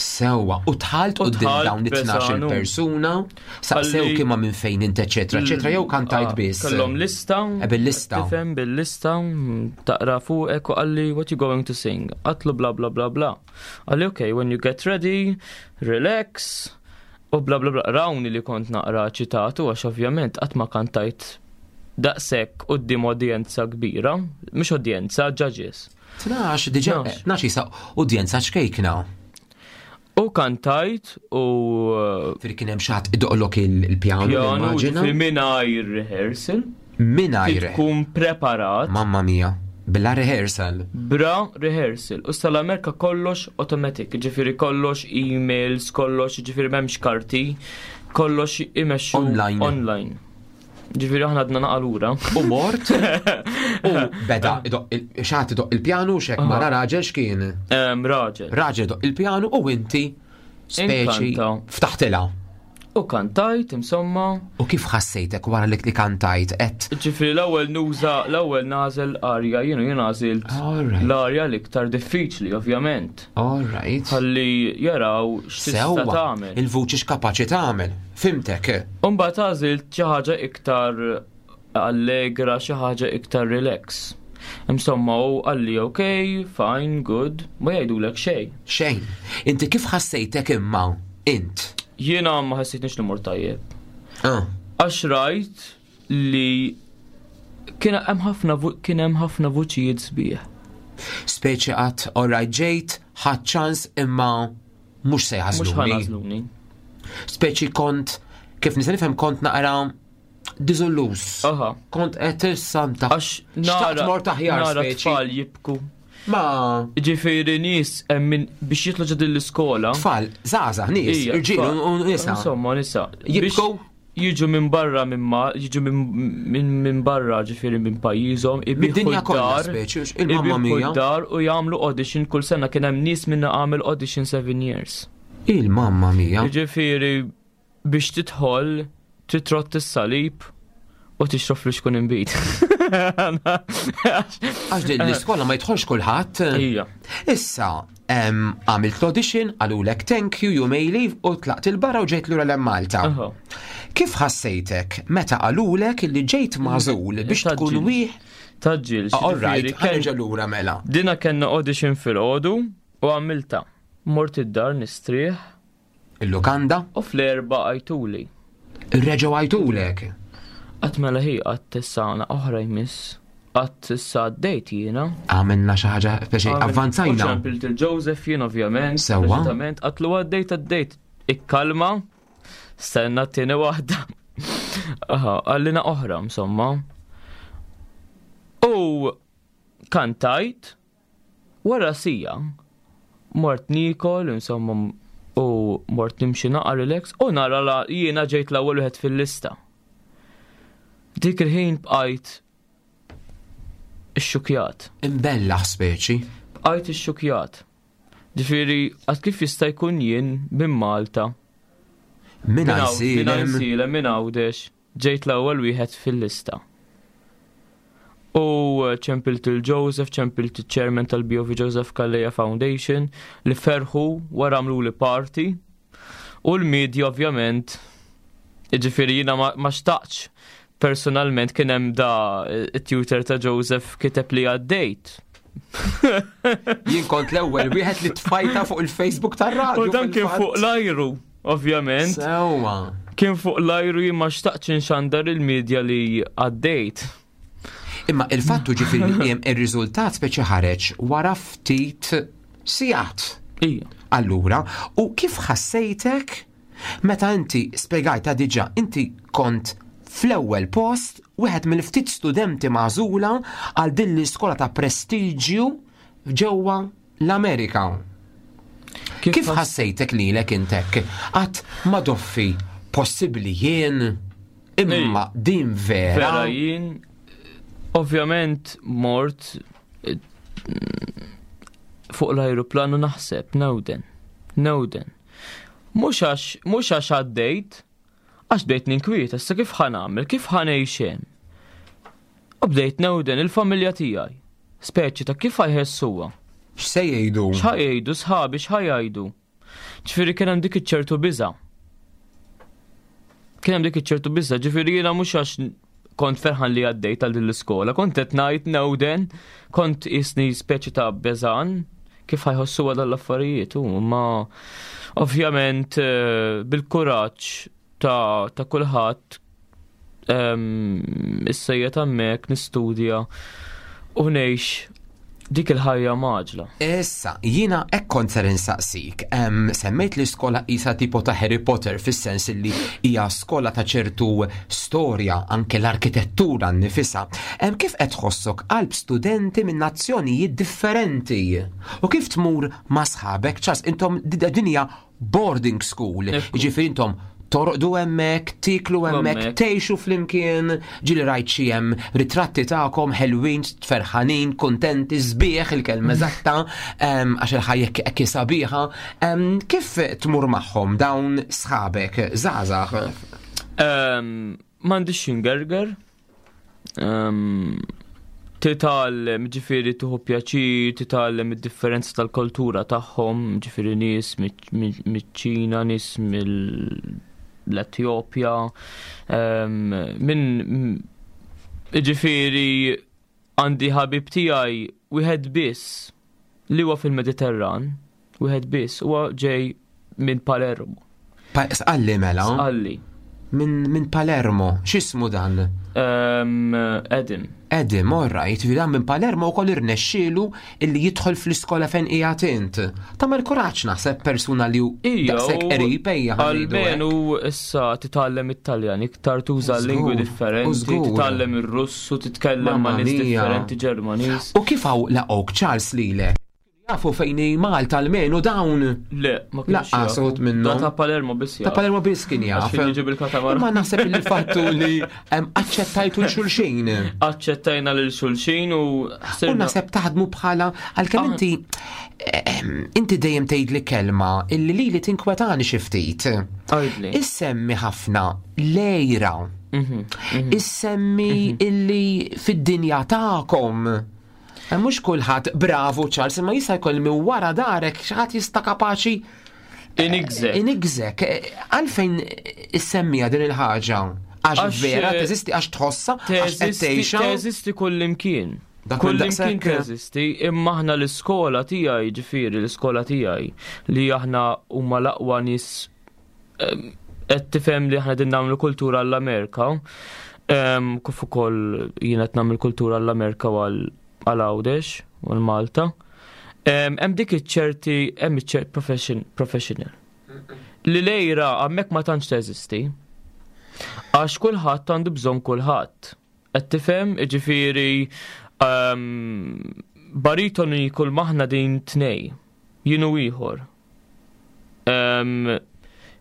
Sewwa, u tħalt u dawn it-12 persuna, saqsew kima minn fejn int eċetera, eċetera, jew kantajt ah, biss. Kellhom lista. Eh, bil-lista. Tifhem bil-lista, taqra fuqek u qalli what you going to sing. Qatlu bla bla bla bla. Qalli okay, when you get ready, relax, U bla bla bla rawni li kont naqra ċitatu għax ovvjament qatt ma kantajt daqshekk quddiem udjenza kbira, mhux udjenza, judges. 12 diġà, 12 jisa udjenza ċkejkna. U kantajt u. Fri kien hemm xi ħadd idoqlok il-pjanu. Pjanu mingħajr rehearsal. Mingħajr. Tkun preparat. Mamma mia. Bla rehearsal. Bra rehearsal. U sal-Amerika kollox automatic, ġifiri kollox emails, kollox ġifiri memx karti, kollox imexxu online. online. Ġifiri aħna għadna naqalura. U mort. U beda, xaħat doq il-pjanu, xek mara raġel xkien? Raġel. Raġel doq il-pjanu u inti speċi ftaħtilha. U kantajt, insomma. U kif ħassejtek wara li kantajt qed? Ġifieri l-ewwel nuża, l-ewwel nagħżel arja, jienu jien għażilt l-arja l-iktar diffiċli, ovvjament. All right. Ħalli jaraw x'tista' tagħmel. Il-vuċi x'kapaċi tagħmel. Fimtek. U mbagħad għażilt xi ħaġa iktar allegra, xi ħaġa iktar relax. Insomma, u qalli ok, fine, good, ma jgħidulek xejn. Xejn. Inti kif ħassejtek imma int? Jiena ma ħassejtniex li mort tajjeb. Ah. Għax rajt li kien hemm ħafna kien hemm ħafna vuċijiet sbieħ. Speċi qatt alright ġejt, ħadd ċans imma mhux se jażluni. Mhux ħanażluni. Speċi kont kif nista' nifhem kont naqra diżolluż. Aha. Kont qed issa nta. Għax nara mort aħjar nara tfal jibku. Ma. Ġifieri nies hemm biex jitlu ġo din l-iskola. Tfal, żgħażagħ, nies, irġiel u nisa. Insomma, nisa. Jibku jiġu minn barra minn ma, jiġu minn barra ġifieri minn pajjiżhom, ibiħu d-dar, il-mamma mia. dar u jagħmlu audition kull sena kien hemm nies minna għamel audition 7 years. Il-mamma mia. Ġifieri Biex tidħol trid trott is-salib u tixrob flixkun inbid. Għax din l-iskola ma jidħolx kulħadd. Ija. Issa, għamilt l-audition, qalulek thank you, you may leave u tlaqt il-barra u ġejt lura l Malta. Kif ħassejtek meta qalulek li ġejt magħżul biex tkun wieħ? Taġġil. All right, ħanerġa' lura mela. Dina kellna audition fil-għodu u għamilta. Mort id-dar nistrieħ Il-lukanda? U fl-erba għajtuli. Reġgħu għajtulek? Qatt mela hi qatt issa għana oħra jmiss. Qatt issa għaddejt jiena. Għamilna xi ħaġa speċi avvanzajna. Ċempilt il-Joseph jien ovvjament. Sewwa. Preċiżament qatlu għaddejt għaddejt. Ikkalma. Stenna t-tieni waħda. Aha, għallina oħra insomma. U kantajt wara sija. Mort nikol, insomma, u mort nimxi naqa relax u nara la jiena ġejt l-ewwel wieħed fil-lista. Dik il-ħin bqajt ixxukjat. Imbellaħ speċi. Bqajt ixxukjat. Ġifieri, għad kif jista' jkun jien minn Malta. Minn Għajsilem. Minn Għawdex, ġejt l-ewwel wieħed fil-lista. U ċempilt il-Joseph, ċempilt il-chairman tal-BOV Joseph Calleja Foundation li ferħu wara għamlu li party. U l-media ovvjament, ġifieri jiena ma xtaqx personalment kien hemm da it-tutor ta' Joseph kiteb li għaddejt. Jien kont l-ewwel wieħed li tfajta fuq il-Facebook tar-radju. U dan kien fuq l-ajru, ovvjament. Sewwa. Kien fuq l-ajru jien ma xtaqtx inxandar il-medja li għaddejt. Imma il-fattu ġifieri li hemm ir-riżultat speċi ħareġ wara ftit sigħat. Ija. Allura, u kif ħassejtek meta inti spjegajta diġà inti kont fl-ewwel post wieħed mill-ftit studenti magħżula għal din l-iskola ta' prestiġju ġewwa l-Amerika. Kif ħassejtek lilek intek? Qatt ma doffi possibbli jien imma din vera. Vera jien ovvjament mort eh, fuq l-ajruplanu naħseb newden. Newden. Mhux għax mhux għax għaddejt, għax bdejt ninkwieta, issa kif ħa nagħmel, kif ħa ngħix hemm. U bdejt newden il-familja tiegħi. Speċi ta' kif ħa jħessuha. X'se jgħidu? X'ħa jgħidu sħabi, x'ħa jgħidu. Ġifieri kien hemm dik iċ-ċertu biża'. Kien hemm dik iċ-ċertu biża', ġifieri jiena mhux għax kont ferħan li għaddejt għal din l-iskola, kont qed ngħid newden, kont isni speċi ta' beżan kif ħajħossu għal l-affarijiet, u ma ovvjament eh, bil-kuraġġ ta', ta kulħadd ehm, issa qiegħed hemmhekk nistudja u ngħix dik il-ħajja maġla. Issa, jiena hekk kont ser insaqsik. Semmejt li skola isa tipo ta' Harry Potter fis-sens li hija skola ta' ċertu storja anke l-arkitettura nnifisha. Kif qed tħossok qalb studenti minn nazzjonijiet differenti? U kif tmur ma' sħabek ċas intom din hija boarding school, ġifieri intom torqdu hemmhekk, tiklu hemmhekk, tgħixu flimkien, ġieli rajt xi hemm ritratti tagħkom ħelwin, ferħanin, kuntenti, sbieħ il-kelma eżatta, għax il-ħajja hekk sabiħa. Kif tmur magħhom dawn sħabek, żgħażagħ? M'għandix xingerger, Titgħallem, ġifieri tieħu pjaċir, titgħallem id-differenza tal-kultura tagħhom, ġifieri nies miċ-Ċina, nies mill-Etjopja, minn ġifieri għandi ħabib tiegħi wieħed biss li huwa fil-Mediterran, wieħed biss, huwa ġej minn Palermo. Sqalli mela? Sqalli. Minn min Palermo, x'ismu dan? Um, Edim. Edim, all right, dan minn Palermo wkoll irnexxielu illi jidħol fl-iskola fejn qiegħed int. Tagħmel kuraġġ naħseb persuna li daqshekk qrib ejja. Almenu issa titgħallem it-Taljan iktar tuża lingwi differenti, titgħallem ir-Russu, titkellem ma' nies differenti Ġermaniż. U kif hawn laqgħuk Charles lilek? Jafu fejn hi Malta almenu dawn. Le, ma kienx. Laqqas uħud minnhom. Da ta' Palermo biss jaf. Ta' Palermo biss kien jaf. Imma naħseb li fattu li aċċettajtu l-xulxin. Aċċettajna lil xulxin u U naħseb taħdmu bħala għalkemm ah. inti inti dejjem tgħidli kelma illi lili tinkwetani xi ftit. Issemmi ħafna lejra. Mhm, mhm. Issemmi mhm. illi fid-dinja tagħkom Eh, mhux kulħadd bravu Charles, imma jista' jkoll minn wara darek xi ħadd jista' kapaċi eh, Inigżek. Inigżek. Eh, għalfejn issemmija din il-ħaġa? Għax vera teżisti għax tħossa, għax qed tgħixha. Teżisti kullimkien. Kullimkien teżisti, imma aħna l-iskola tiegħi, ġifieri l-iskola tiegħi li aħna huma l-aqwa nies qed tifhem li aħna din nagħmlu kultura għall-Amerika, kif ukoll jien qed nagħmel kultura għall-Amerika u għal Għawdex u l-Malta. Hemm dik iċ-ċerti hemm iċ professional. Li lejra hemmhekk ma tantx teżisti. Għax kulħadd għandu bżonn kulħadd. Qed tifhem, jiġifieri baritoni kull maħna din tnej. Jien u ieħor.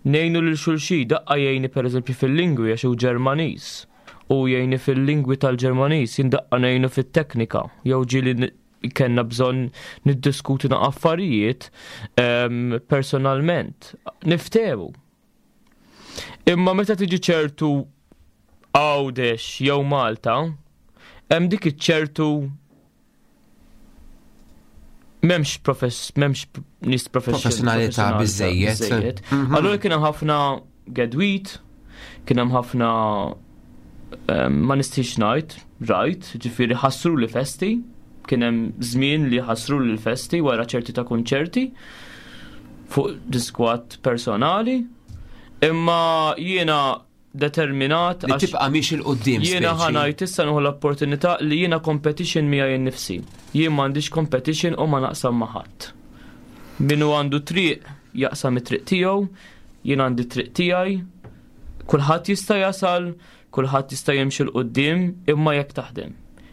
Ngħinu lil xulxin, daqqa jgħinni pereżempju fil-lingwi għax hu Ġermaniż u jgħinni fil-lingwi tal-Ġermaniż, jien daqqa ngħinu fit-teknika jew ġieli kellna bżonn niddiskutu na affarijiet personalment. Niftehmu. Imma meta tiġi ċertu Għawdex jew Malta, hemm dik iċ-ċertu m'hemmx profess m'hemmx nies professjonalità biżejjed. Mhm. Allura kien hemm ħafna gedwit, kien hemm ħafna ehm, ma nistix ngħid, rajt, ġifieri ħassru li festi, kien hemm żmien li ħassru li festi wara ċerti ta' kunċerti fuq diskwat personali, imma jiena determinat. Li tibqa' miex il qudiem Jiena ħanajt issa nieħu l-opportunità li jiena competition miegħi nnifsi. Jien m'għandix competition u ma naqsam ma' ħadd. Min hu għandu triq jaqsam it-triq tiegħu, jien għandi triq tiegħi, kulħadd jista' jasal, kulħadd jista' jimxi 'l quddiem imma jekk taħdem.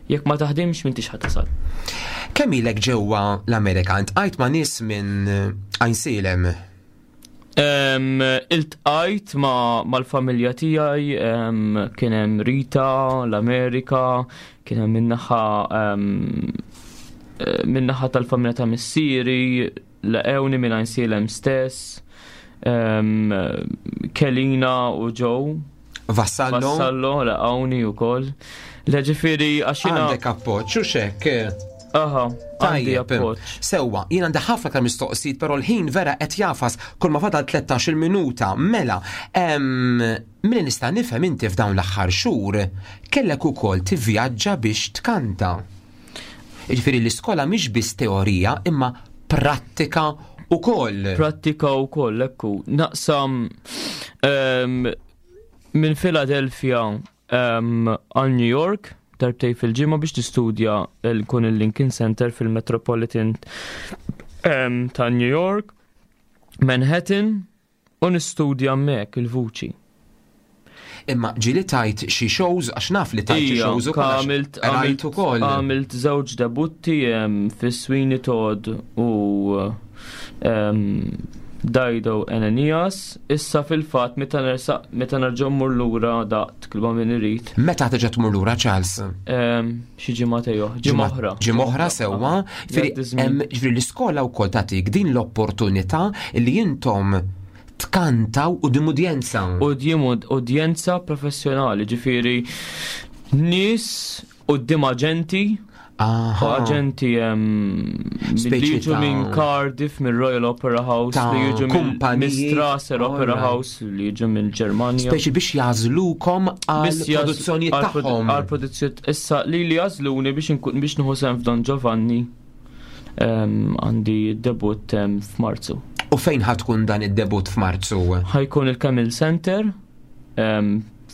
Jekk ma taħdimx m'intix ħa tasal. Kemm ilek ġewwa l-Amerika? Intqajt ma' nies minn Għajnsielem? Iltqajt mal-familja tiegħi, kien hemm Rita, l-Amerika, kien hemm min-naħa min-naħa tal-familja ta' missieri, laqgħuni minn Għajnsielem stess, Kelina u Joe. Vassallo. Vassallo, laqgħuni wkoll. Le ġifieri għax jiena. Għandek appoġġ u xek. Aha, għandi appoġġ. Sewwa, jien għandi ħafna aktar mistoqsijiet, però l-ħin vera qed jafas kull ma fadal 13-il minuta. Mela, milli nista' nifhem inti f'dawn l-aħħar xhur kellek ukoll tivvjaġġa biex tkanta. Jiġifieri l-iskola mhix biss teorija imma prattika ukoll. Prattika wkoll, ekku. Naqsam minn Philadelphia għal New York darbtej fil-ġimgħa biex tistudja kun il-Lincoln Center fil-Metropolitan ta' New York, Manhattan, u nistudja hemmhekk il-vuċi. Imma ġieli tajt xi shows għax naf li tajt xi shows ukoll. Għamilt rajt ukoll. Għamilt żewġ debutti fi Sweeney Todd u Dido Ananias. Issa fil-fatt meta nersaq meta nerġa' mmur lura daqt klba min irid. Meta terġa' tmur lura Charles? Xi ġimgħa oħra. Ġimgħa oħra. Ġimgħa oħra sewwa. Ġifieri l-iskola wkoll tagħtik din l-opportunità li intom tkantaw quddiem udjenza. Quddiem udjenza professjonali, ġifieri nies quddiem aġenti Aġenti li jiġu minn Cardiff, minn Royal Opera House, li jiġu minn Strasser Opera House, li jiġu minn Ġermanja. Speċi biex jażlukom għal produzzjoni tagħhom. Għal produzzjoni issa li li jażluni biex biex nieħu sehem f'Don Giovanni għandi debut f'Marzu. U fejn ħatkun dan id-debut f'Marzu? Ħajkun il-Camel Center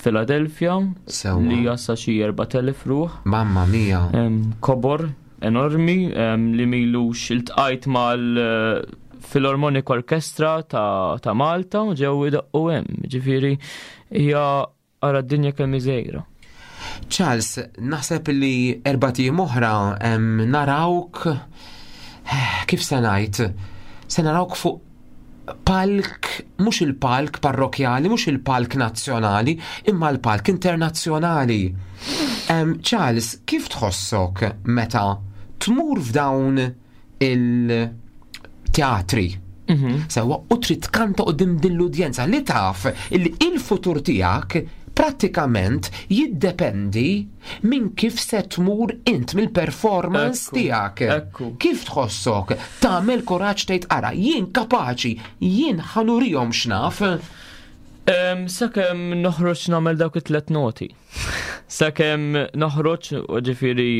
Philadelphia li jassa xi 4000 ruħ. Mamma mia. Kobor enormi li milux iltqajt mal eh, Philharmonic Orchestra ta', ta Malta u ġew idaqqu hemm. Ġifieri hija ara d-dinja kemm iżejra. Charles, naħseb li erbat ijiem oħra narawk eh, kif se ngħid, se narawk fuq palk, mhux il-palk parrokjali, mhux il-palk nazzjonali, imma l-palk internazzjonali. Charles, kif tħossok meta tmur f'dawn il-teatri? Mhm. Sewa, u trid tkanta qudiem din l-udjenza li taf li il-futur tiegħek prattikament jiddependi minn kif se tmur int mill-performance tiegħek. Kif tħossok? Tagħmel kuraġġ tgħid ara, jien kapaċi, jien ħanurihom x'naf. Sakemm noħroġ nagħmel dawk it-tlet noti. Sakemm noħroġ ġifieri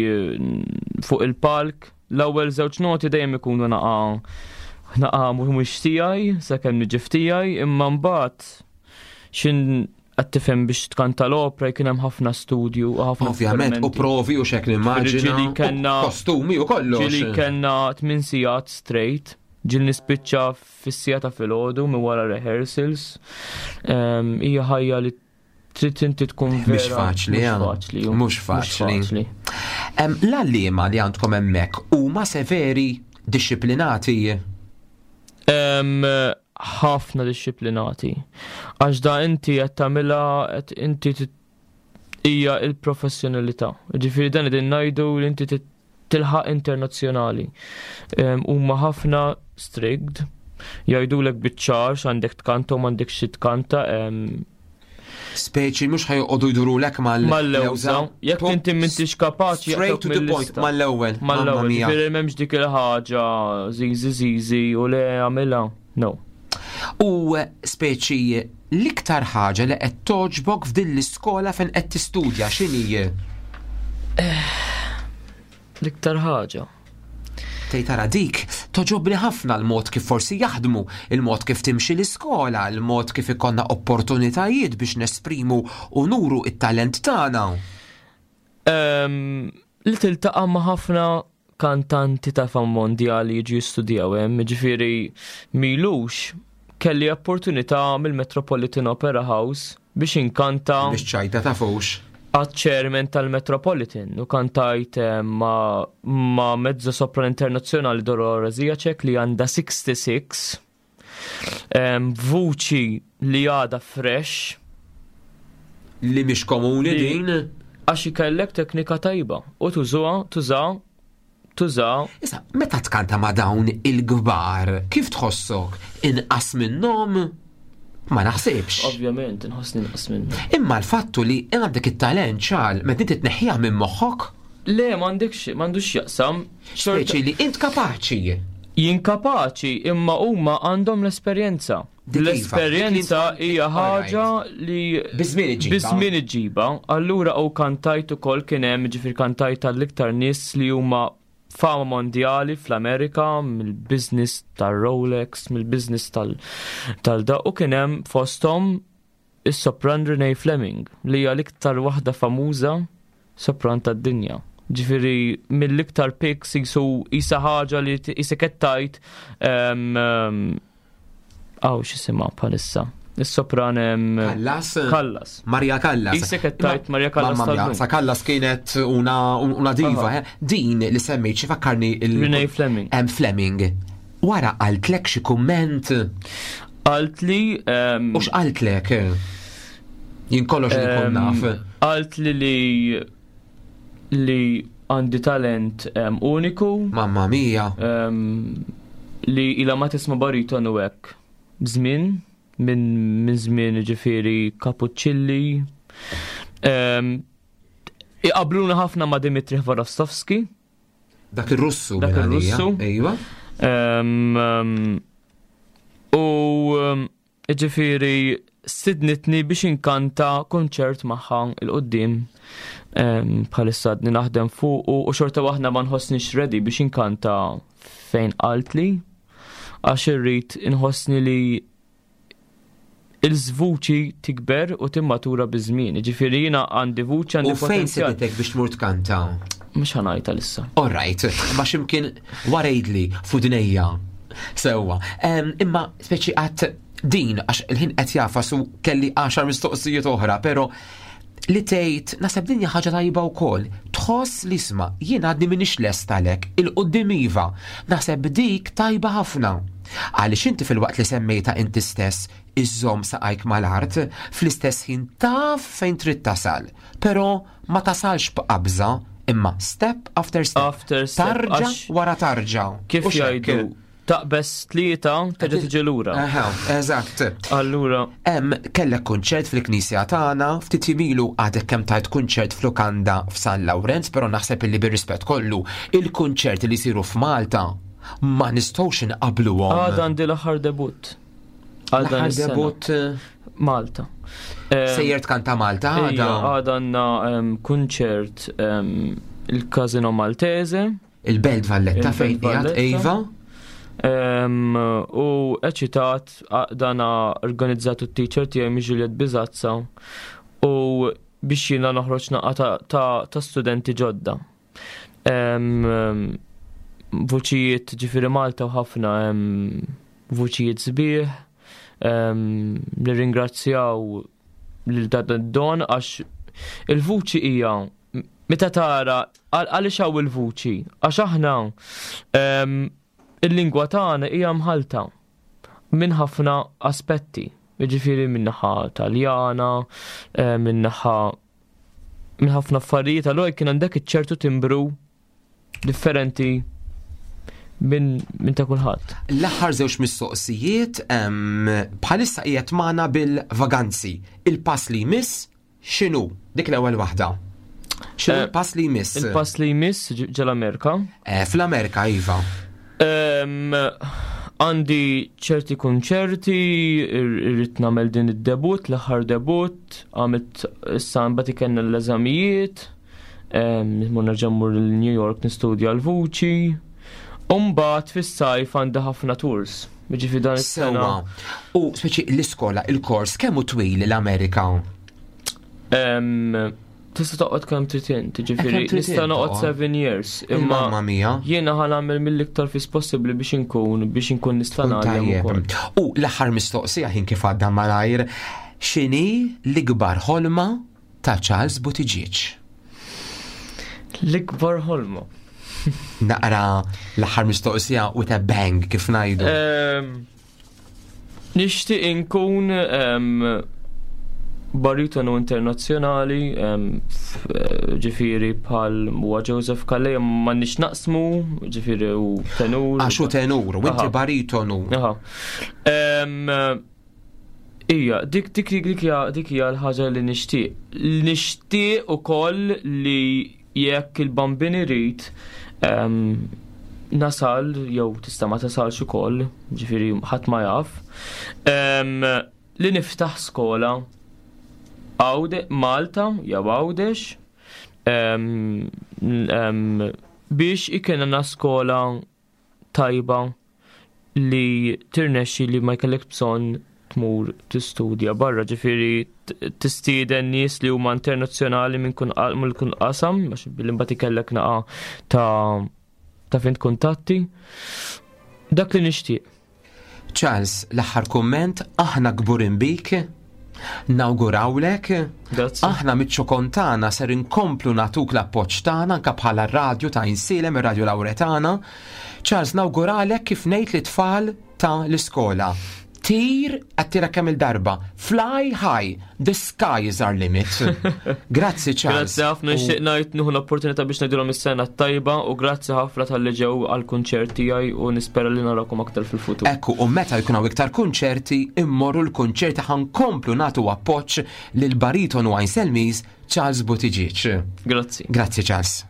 fuq il-palk, L-ewwel żewġ noti dejjem ikunu naqa' naqa' mhux tiegħi sakemm niġi f'tiegħi, imma mbagħad xin qed tifhem biex tkanta l-opra jkun hemm ħafna studju u ħafna Ovvjament, u provi u xek nimmaġina. Ġieli kellna kostumi u kollox. Ġieli kellna tmien sigħat straight, ġieli nispiċċa fis-siegħa ta' filgħodu minn wara rehearsals. Ehm, hija ħajja li trid inti tkun vera. Mhux faċli, mhux faċli. L-għalliema li għandkom hemmhekk huma severi, dixxiplinati? Ħafna dixxiplinati. Għax da inti qed tagħmilha qed inti hija il-professjonalità. Ġifieri dan qegħdin ngħidu li inti tilħaq internazzjonali. Huma ħafna strict, jgħidulek biċ-ċar x'għandek tkanta u m'għandek xi tkanta. Speċi mhux ħajqogħdu jdurulek mal-lewża. Jekk inti m'intix kapaċi straight to the point mal-ewwel. Mal-ewwel. Ġifieri m'hemmx dik il-ħaġa żiżi żiżi u le għamilha. No. U speċi l-iktar ħaġa li qed toġbok f'din l-iskola fejn qed tistudja x'inhi? Eh, l-iktar ħaġa. Tgħid tara dik, toġobni ħafna l-mod kif forsi jaħdmu, il-mod kif timxi l-iskola, il-mod kif ikollna opportunitajiet biex nesprimu u nuru it-talent tagħna. Ehm, li tiltaqa' ma' ħafna kantanti ta' fama mondjali jiġu jistudjaw hemm, jiġifieri m'ilux kelli opportunità mill-Metropolitan Opera House biex inkanta. Biex ċajta ta' fux. Għat-chairman tal-Metropolitan u kantajt eh, ma, ma mezzo sopran internazzjonali Dolores Ziacek li għandha 66 Vuċi li għada fresh. Li mhix komuni din. Għax ikellek teknika tajba u tużuha, tuża, tuża. Issa, meta tkanta ma' dawn il-kbar, kif tħossok? Inqas minnhom? Ma naħsibx. Ovvjament, inħossni inqas minnhom. Imma l-fattu li għandek it-talent ċal, meta inti tneħħiha minn moħħok? Le, m'għandekx, m'għandux jaqsam. Speċi li int kapaċi. Jien kapaċi, imma huma għandhom l-esperjenza. Dik iva, L-esperjenza hija ħaġa li Biż-żmien iġġibha. Biż-żmien iġġibha. Allura u kantajt ukoll kien hemm, ġifier kantajt tal-iktar nies li huma fama mondjali fl-Amerika, mill-business tal-Rolex, mill-business tal-da, u kien hemm fosthom is-sopran Renee Fleming, li hija l-iktar waħda famuża sopran tad-dinja. Ġifieri mill-iktar pics jisu jisa ħaġa li jisek qed tgħid għaw x'isimha bħalissa. Is-sopran Callas? Callas. Maria Callas. Jisek qed tgħid Maria Callas. Mamma mia, sa Callas kienet una, una diva, eh? Din li semmejt xi fakkarni il Renee Fleming. Fleming. Wara qaltlek xi kumment? Qaltli. U x'qaltlek? Jien kollox li nkun naf. Qaltli li li għandi talent uniku. Mamma mia. Li ila ma tisma' baritonu hekk. Żmien minn żmien ġifieri Capuccilli. Iqabluna ħafna ma' Dimitri Hvorostovski. Dak ir-Russu. Dak ir-Russu. Ejwa. U ġifieri stidnitni biex inkanta konċert magħha il-qoddim bħalissa għadni naħdem fuq u xorta waħda ma nħossnix ready biex inkanta fejn qaltli għax irrid inħossni li il-żvuċi tikber u timmatura biż-żmien. Ġifieri jiena għandi vuċi għandi U fejn seditek biex tmur tkanta? Mhux ħanajta lissa. All right, ma x'imkien warejdli f'udnejja. Sewwa. Imma speċi qatt din għax il-ħin qed jafas u kelli 10 mistoqsijiet oħra, però li tgħid naħseb din hija ħaġa tajba wkoll. Tħoss li isma' jien għadni m'iniex lest għalhekk, il-quddiem iva. Naħseb dik tajba ħafna. Għaliex inti filwaqt li semmejtha inti stess iżżomm saqajk mal-art, fl-istess ħin taf fejn trid tasal. Però ma tasalx b'qabża, imma step after step. After step. Tarġa wara tarġa. Kif jgħidu? Taqbeż tlieta terġa' tiġi lura. Aha, eżatt. Allura. Hemm kellek kunċert fil-knisja tagħna, ftit ilu għadek kemm tajt kunċert f'lukanda f'San Lawrenz, però naħseb illi bir-rispett kollu, il-kunċerti li jsiru f'Malta ma nistgħux inqabbluhom. Għada għandi l-aħħar debut. Għada debut eh, Malta. Sejjer tkanta Malta għada. Għada għandna kunċert il-Casino Maltese. Il-Belt Valletta fejn qiegħed Eva. U eċitat dana organizzatu t-teacher tiegħi mi Juliet Bizazza u biex jiena noħroġ naqa ta' studenti ġodda. Vuċijiet ġifieri Malta u ħafna vuċijiet sbieħ. Nirringrazzjaw lil dan don għax il-vuċi hija Meta tara għaliex hawn il-vuċi? Għax aħna ehm, il-lingwa tagħna hija mħalta. minn ħafna aspetti. Jiġifieri minn naħa Taljana, eh, minn naħa minn ħafna affarijiet, allura kien għandek iċ-ċertu timbru differenti minn min ta' kulħadd. L-aħħar żewġ mistoqsijiet bħalissa qiegħed magħna bil-vaganzi. Il-pass li jmiss x'inhu? Dik l-ewwel waħda. X'inhu eh, l-pass li jmiss? Il-pass li jmiss ġel-Amerika. Eh, fl-Amerika, iva. Għandi ċerti kunċerti, irrid nagħmel din id-debut, l-aħħar debut, għamilt issa mbagħad ikenna l-eżamijiet. Mur nerġa' mmur l-New York nistudja l-vuċi. Umbagħad fis-sajf għandi ħafna tours. Jiġifieri dan is-sena. U speċi l-iskola, il-kors kemm hu twil l-Amerika? Tista' toqgħod kemm trid int, jiġifieri eh, nista' noqgħod 7 years. Imma mamma mia. Jiena ħa nagħmel mill-iktar fis possibbli biex inkun biex inkun nista' nagħmel ukoll. U l-aħħar mistoqsija ħin kif għadda malajr, x'inhi l-ikbar ħolma ta' Charles Buttigieg. L-ikbar ħolma. Naqra l-aħħar mistoqsija with a bang kif ngħidu. Ehm, nixtieq inkun ehm, baritonu internazzjonali, ehm, eh, ġifiri bħal huwa Joseph Calleja ma nix naqsmu, ġifiri u tenur. Għaxu tenur, u inti baritonu. Aha. Ija, dik dik dik hija dik hija l-ħaġa li nixtieq. Nixtieq ukoll li jekk il-bambin irid ehm, nasal jew tista' ma tasalx ukoll, ġifieri ħadd ma jaf, ehm, li niftaħ skola Għawde, Malta jew Għawdex ehm, biex ikenna skola tajba li tirnexxi li ma jkellek bżonn tmur tistudja barra, ġifieri tistieden nies li huma internazzjonali minn kun kun qasam, għax billi mbagħad ikellek naqa ta' ta' fint kuntatti. Dak li nixtieq. Charles, l-aħħar kumment, aħna kburin bik, nawgurawlek, aħna miċ-ċokon tagħna ser inkomplu nagħtuk l-appoġġ tagħna anke bħala radju ta' Insilem, ir-Radju Lawretana. Charles, nawguralek kif ngħid lit-tfal ta' l-iskola. Tir, għattira kemm il-darba. Fly high, the sky is our limit. Grazzi Charles. Grazzi ħafna nixtieq ngħid nieħu l-opportunità biex ngħidilhom is-sena t-tajba u grazzi ħafna talli ġew għall-kunċert tiegħi u nispera li narakom aktar fil-futur. Ekku, u meta jkun hawn iktar kunċerti, immorru l-kunċerti ħankomplu nagħtu appoġġ lil baritonu Għajn Selmiż Charles Buttigieg. Grazzi. Grazzi Charles.